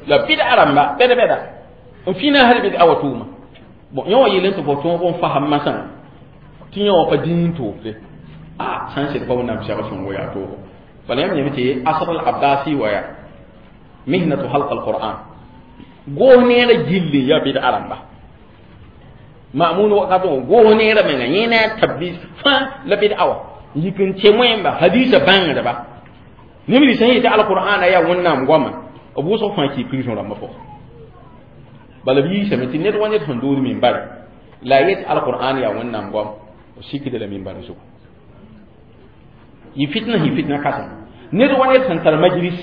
la bɩd'a rãmba bɛd bɛda n finaasd bɩd'a wa tʋʋma. Bon yẽ wã yeel n tɩ fo tõog n fasem masã tɩ yẽ wã pa dĩin toofde. A sãn sed pa Wẽnnaam segl sõngo yaa toogo. Bala yãmb yẽme tɩ asr al-abbasi wa yaa mihnatu halq al-qur'an. Goos neerã gilli yaa bɩd'a rãmba. Ma'mun wakat wã goos neerã menga yẽ ne a tablis fãa la bɩd'a wã. Yik n tɩ wẽmba hadiisã bãngdba. Neb nins sẽn yetɩ alqur'ana yaa Wẽnnaam goama, b wʋsg fãa kɩ prison rãmbã pʋgẽ. Bala b yiisame tɩ ned wa ned sẽn dood minbar la a yet alqur'an yaa Wẽnnaam goam, b sikda la minbar zugu. Yɩ fitna yɩ fitna kãsem. Ned wa ned sẽn tar majlis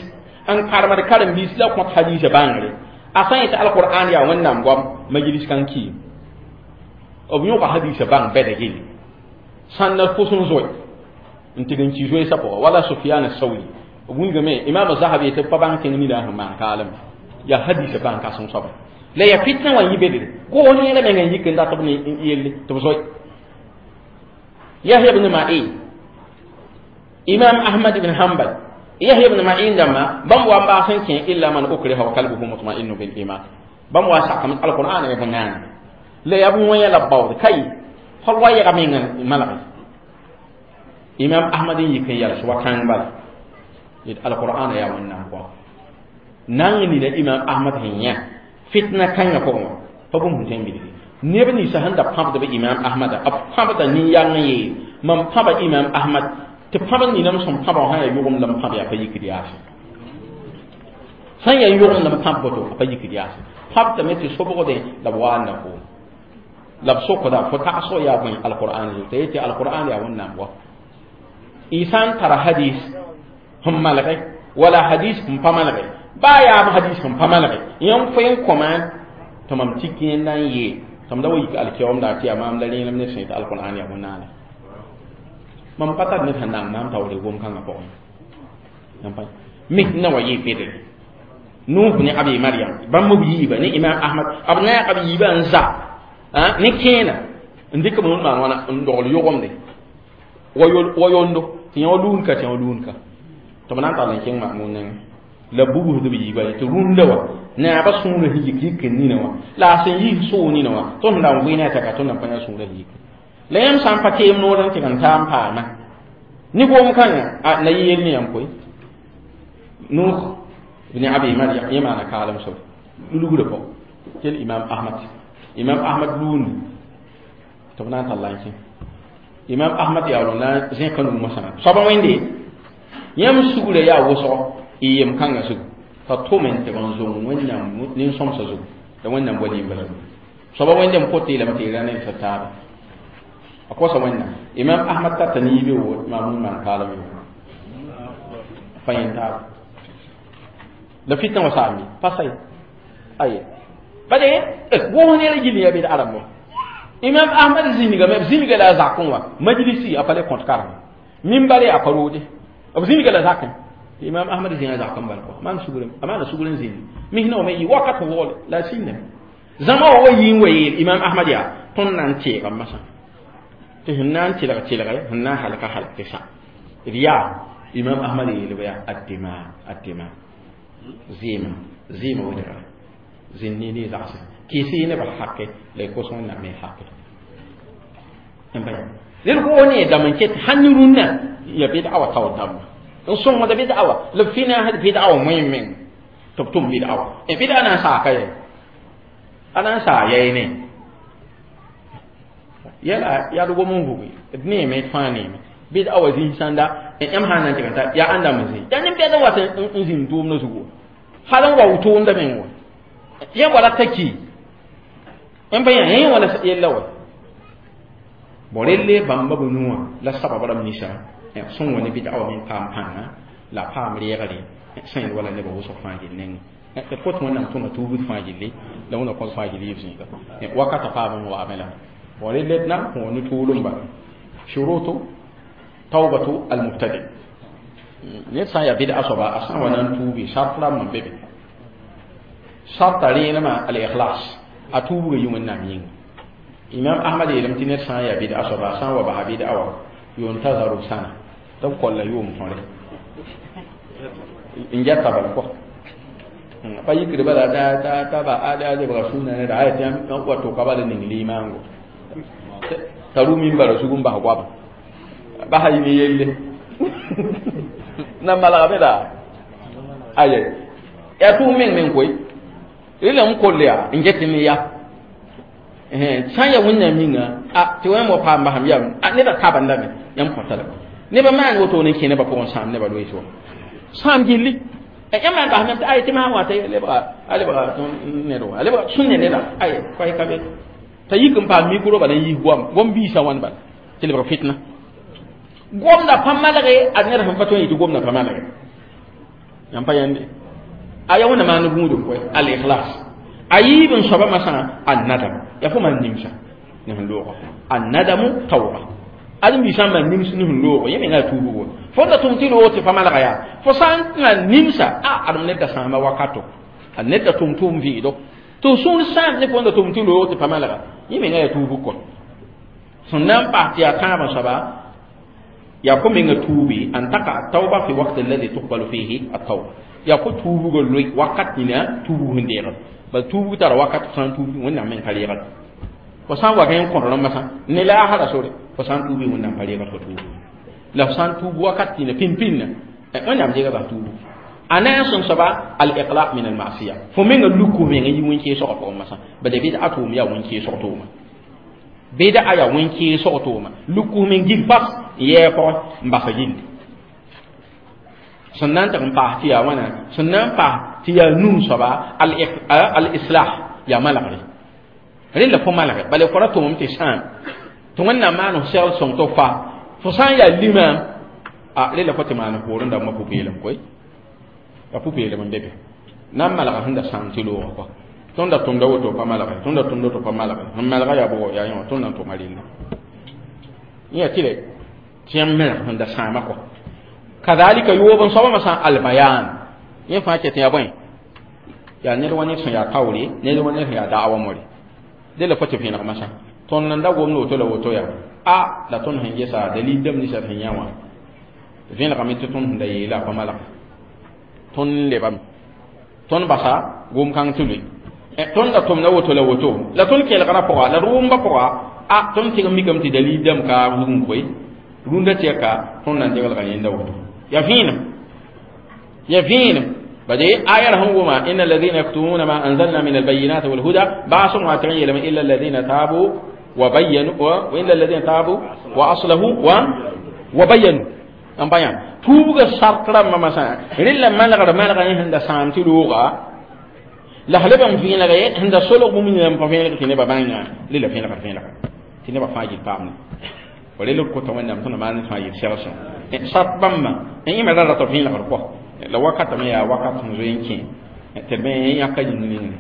n karemd karen-biis la kõt hadiisã bãngre, a sã n yetɩ alqur'an yaa Wẽnnaam goam, majlis kan kiim. B yõka hadiisã bãng bɛda gilli. Sãn la fʋs n zoe n tɩg n ki zoeesã pʋgã wala Sufyan Sauri. B wilgame Imam Zahabi yetɩ b pa bãng tẽng nina sẽn maan kaalem yaa hadiisã bãng kãsem soaba. La yaa fitna wã yĩ bedre. Goos neerã meng n yik n dat b ne yelle tɩ b zoe. Yahya ibn Ma'in, Imam Ahmad ibn Hanbal, Yahya ibn Ma'in dãmba bãmb wa n baas n kẽ illa man ukriha wa qalbuhu mutma'innu bil iman. Bãmb wa sakame alqur'an ya bõn-naana. La yaa bõn-wẽnya la b baood kai fo wa yɛga meng n malge. Imam Ahmad n yik n yals wa kãng bala yet alqur'an yaa Wẽnnaam goam. Nang nina Imam Ahmad sẽn yã fitna kãngã pʋgẽ wã pa bũmb sẽn tõe n bilgi. Neb ninsã sẽn da pãbdb Imam Ahmada, b pãbda nin-yang n yeel mam pãba Imam Ahmad tɩ pãb nina m sẽn pãba wã sã yaa yʋgemd la m pãb yaa pa yikd yaase. Sã n yaa yʋgemd la m pãb boto a pa yikd yaase. Pãbdame tɩ sobgdẽ la b wa n na koom. La b sokda fo tagsg yaa bõe alqur'an zugu t'a yetɩ alqur'an yaa Wẽnnaam goam. Y sã n tara hadis sẽn malge wala hadis sẽn pa malge baa yaam hadis sẽn pa malge yãmb fo n kõ maam tɩ mam tik yẽnda n yee tɩ m da wa yik alkiyoomda tɩ yaa maam la rẽenem ned sẽn yetɩ alqur'an yaa bõn-naana. Mam pa tar ned sẽn nang maam taoore gom-kãngã pʋgẽ. Misna wa yɩ bedre. Nuh ne Abi Maryam bãmb b yiiba ne Imam Ahmad b naag b yiiba n za ne kẽena n dɩk b maan wãna n dogl yʋgemde wa yondo tɩ yã wa luun ka tɩ yã wa luun ka tɩ b na n tall n kẽng Ma'mun nengẽ la bugsd b yiiba tɩ rũndã wã naabã sũurã sẽn yik yik n nina wã la a sẽn yis soog nina wã tõnd sẽn da n vɩ ne a tɛka tõnd na n pa yã sũurã sẽn yik. La yãmb sã n pa teem noor n tɩg n taa n paama ne gom-kãngã la yɩ yell ne yãmb koe. Nuh ibn Abi Maryam yẽ maana kaalem soab lulgrã pʋgẽ kel Imam Ahmad. Imam Ahmad luundi tɩ b na n tall n kẽ. Imam Ahmad yaool n na n zẽka nuu mosã soaba wẽnde yãmb sugrã yaa wʋsgo y yem kãngã zugu t'a tʋm n tɩg n zong Wẽnnaam nin-sõmsã zugu la Wẽnnaam wa limba zugu. Soaba wẽnde n pot yeelame tɩ y ra ned taaba a kosa Wẽnnaam. Imam Ahmad tata ne yibe wo Mamun maan kaalem yo pa yẽn taaba. La fitna wã saambi pa say aye Bade wo ne la gili ya bid'a ramo. Imam Ahmad ziniga me ziniga la zakon wa majlisi apale compte karam. Minbari aparode. Ab ziniga la zakon. Imam Ahmad ziniga zakon bal ko. Man sugulen amana sugulen zini. Mi hino me yi wakat wol la sinne. Zama wa yin waye Imam Ahmad ya ton nan ce ga masa. Te hinnan tilga tilga hinna halaka halaka sa. Riya Imam Ahmad yelwa addima addima. Zima zima wadara. Zinni ni zasa. Kisi ne ba hakke le ko son na me hakke. Mbay. Lel ko ne da man ket hanirunna ya bid'a wa tawdam. In son ma da bid'a wa la fina had bid'a wa muhimmin. Tubtum bid'a wa. E bid'a na sa kai. Ana sa yayi ne. Yala ya dugo mun gugu. Ne me fani me. Bid'a wa zin sanda en am hanan tikanta ya anda mun zin. Ya nim bid'a wa in zin dum no zugo. Halan wa wuto nda men wa. Ya wala taki. En bayan yin wala yella wa. Borelle bamba bunua la sababa nisa son woni bid'a wa min pam panga la pam regale sen wala ne bo so fa gilne e ko to nan to na tubu fa gilli la wona ko fa gilli yibsin ka wakata pam wa amala borelle na woni tulum ba shurutu tawbatu al mubtadi ne sa ya bid'a so ba asan wannan tubi shartla man bebe sharta rena ma al ikhlas atubu yumun na min Imam Ahmad yelam ti ned sã n yaa bid'a soaba sã n wa basa bid'a wã yuntazaru sana tɩ b kolla yʋʋm tõre n gɛta bala kɔ pa yikd bala t'a ba a lebga sũnã neda aya tɩ wa tʋka bala ning limaango t'a rʋ mimbara sug n bas goaba basa yɩ ne yelle na malgame la aya yaa tʋʋm meng meng koe rela n koll yaa n get ne ya sã ya wẽnnaam yĩnga a tɩ wẽn wa paam basam yam a nebã kabandame yãmb kõta la nebã maan woto ne kẽ nebã pʋgẽ sãam nebã loees wa sãam gilli yãmb maan basam tɩ ay tɩ masã wã t'a lebga ned wa a lebga sũnne neda ay koay ka be t'a yik n paam mikro bala n yis goam gom biisã wãn bala tɩ lebg fitna gomda pa malge a ned sẽn pa tõe n yɩ tɩ gomda pa malge yãmb pa yãnde a ya wẽnna maan gũudum koe al ikhlas a yiib n soaba masã an nadam ya fo man nimsa ne sẽn loogo an nadamu tawba ad n biisã man nims ne sẽn loogo yẽ menga tuubugo fo da tʋm tɩ loog tɩ pa malga yaa fo sã n na nimsa a adem ned da sãama wakato a ned da tʋm tʋʋm vɩɩdo tɩ sũur sãam ne fo n da tʋm tɩ loog tɩ pa malga yẽ menga yaa tuubug kɔ sẽn na n paas tɩ yaa tãabã soaba yaa fo menga tuubi an taka tawba fi waqt alladhi tuqbalu fihi at-tawba yaa fo tuubugo loe wakat nina tuubug sẽn deegd bal tuubug tara wakat sã n tuub wẽnnaam meng pa reegd fo sã n wa gã n kõr rãmbã sã ne la a sore fo sã n tuubi wẽnnaam pa reegd fo tuubu la fo sã n tuub wakat nina pĩn-pĩnnã wẽnnaam deega bas tuubu a na n sõm soaba al iqlaq min al masiya fo menga luku menga yi wẽn-kẽesgã pʋgẽ masã bala bɩd a tʋʋm yaa wẽn-kẽesg tʋʋma bɩd a yaa wẽn-kẽesg tʋʋma luku meng gil pas n yɛɛ pʋgẽ n basa gilli sẽn na n tɩg n paas tɩ yaa wãna sẽn na n paas tɩ yaa num soaba al islah yaa malgre rẽnd la fo malge bala fo ra tʋmem tɩ sãam tɩ wẽnnaam maan f segl sõng tɩ f fa fo sã n yaa limaam a rẽ la fo tɩ maan poorẽ dãmbã pʋ-peelem koe a pʋ-peelem n be be na n malga sẽn da sãam tɩ loogã kɔ tõnd da tʋmda woto pa malge tõnd da tʋmda woto pa malge sẽn malga yaa bʋgo yaa yẽ wã tõnd na n tʋma rella yẽ tɩ re tɩ yãmb melg sẽn da sãama kɔ kadhalika yoob n soabã masã albayan yẽ fãa ket yaa bõe yaa ned wa ned sẽn yaa kaoore ned wa ned sẽn yaa da'awa more de la fo tɩ vẽeneg masã tõnd n da gomd woto la woto yaa a la tõnd sẽn gesa dalil dãmb ninsã sẽn yã wã vẽenegame tɩ tõnd sẽn da yeela a pa malg tõnd n lebame tõnd basa gom-kãng tɩ loe tõnd da tʋmda woto la woto la tõnd kelgrã pʋga la d wʋmba pʋga a tõnd tɩg n mikame tɩ dalil dãmb ka zugum koe rũndã tɩ ka tõnd na n degelga yẽnda woto ya vẽenem ya vẽenem bade ayar sẽn wʋma inna alladhina yaktumuna ma anzalna min albayinati walhuda baasg wã tɩg n yeelame illa alladhina tabu wa bayyanu wa illa alladhina tabu wa aslahu wa bayyanu n pa yã tuubga sart rãmbã masã rẽ la malgr malga yẽ sẽn da sãam tɩ looga la f leb n vẽenege sẽn da solg bũmb ningã n pa vẽeneg tɩ nebã bãnga rẽ la vẽenegr vẽenega tɩ nebã fãa gil paamne fo rẽ la d kota wẽnnaam tõnd maan fãa yel segl sõng sart bãmbã n yẽme ra rat vẽenegr kɔ la wakatame yaa wakat sẽn zoe n kẽ tɩ d me yãka yĩng ningne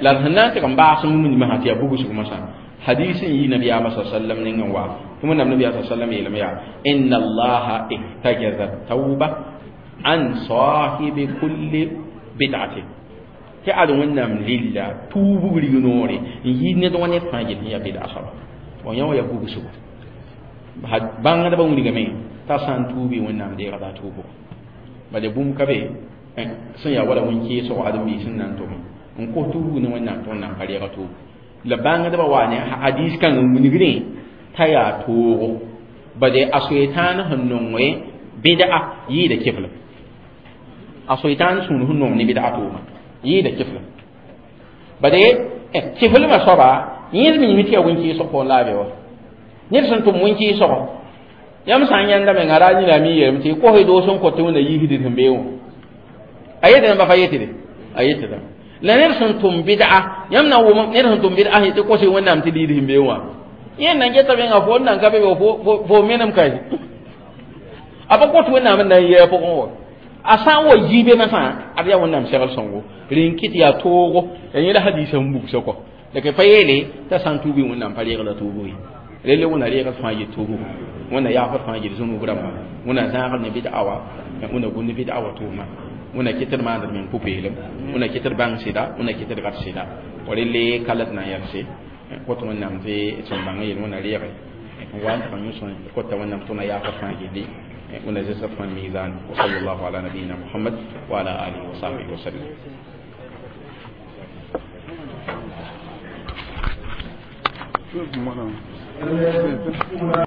La d sẽn na n tɩg n baas mumdmã sã tɩ yaa bugsg mosã hadis n yi nabiyaamã sa sallam nengẽ wa tɩ wẽnnaam nabiyaam sa sallam yeelame yaa inna allaha ihtajaza tauba an sahibi kulli bid'atin tɩ ad wẽnnaam lilla tuubg rig-noore n yi ned wã ned fãa yel sẽn yaa bid'a soaba wa yã wã yaa bugsgo bãngdbã wilgame t'a sã n tuubi wẽnnaam deegda a tuubgo bala bũmb ka be sẽn yaa wala wẽn-keesgo ãdem-biis sẽn na n tʋm n kos tuubg ne wẽnnaam tɩ wẽnnaam pa reega tuub la bãngdbã wa ne hadis kãng n wilgdẽ t'a yaa toogo bade a soetãan sẽn nonge bɩd'a yɩɩda keflem a soetãan sũur sẽn nong ne bɩd'a tʋʋma yɩɩda keflem bade keflmã soaba yẽd mime tɩ yaa wẽn-keesg pʋgẽ la a be wa ned sẽn tʋm wẽn-keesgo yãmb sã n yãnda menga ra yĩna mi yeelame tɩ kos y doos n kõt tɩ wẽnna yiisd sẽn bee wã a yetɩ ba fa yetɩde a yetɩda la ned sẽn tʋm bɩd'a yãmb na n wʋm ned sẽn tʋm bɩd'a tɩ kos y wẽnnaam tɩ liid sẽn bee wã yẽ nan geta menga fo n nan ka be fo menem ka a pa kõt wẽnnaam n na n yɩ a pʋgẽ wa a sã n wa yi be masã ad yaa wẽnnaam segl sõngo rẽn kɩt yaa toogo yaa yẽla hadiisã n bugsã kɔ la pa yeele t'a sã n tuubi wẽnnaam pa reegla tuubu ye relle wẽnna reegd fãa yɩ tuubu wẽnna yaafd fãa yɩ zũnug rãmba wẽnna zãagd ne bɩd'a wa wẽnna gũnd bɩd'a wa tʋʋma wẽnna kɩt d maand d meng pʋ-peelem wẽnna kɩt d bãng sɩda wẽnna kɩt d gad sɩda wa relle ka la d na n yɛlse kõt wẽnnaam tɩ sẽn bãng yel wẽnna reege n wa n tɩg n yõs kota wẽnnaam tõna yaafd fãa gilli wẽnna zẽsg fãa mizan wa sallallahu ala nabiyina muhammad wa ala alihi wa sahbihi wa sallam. Thank you.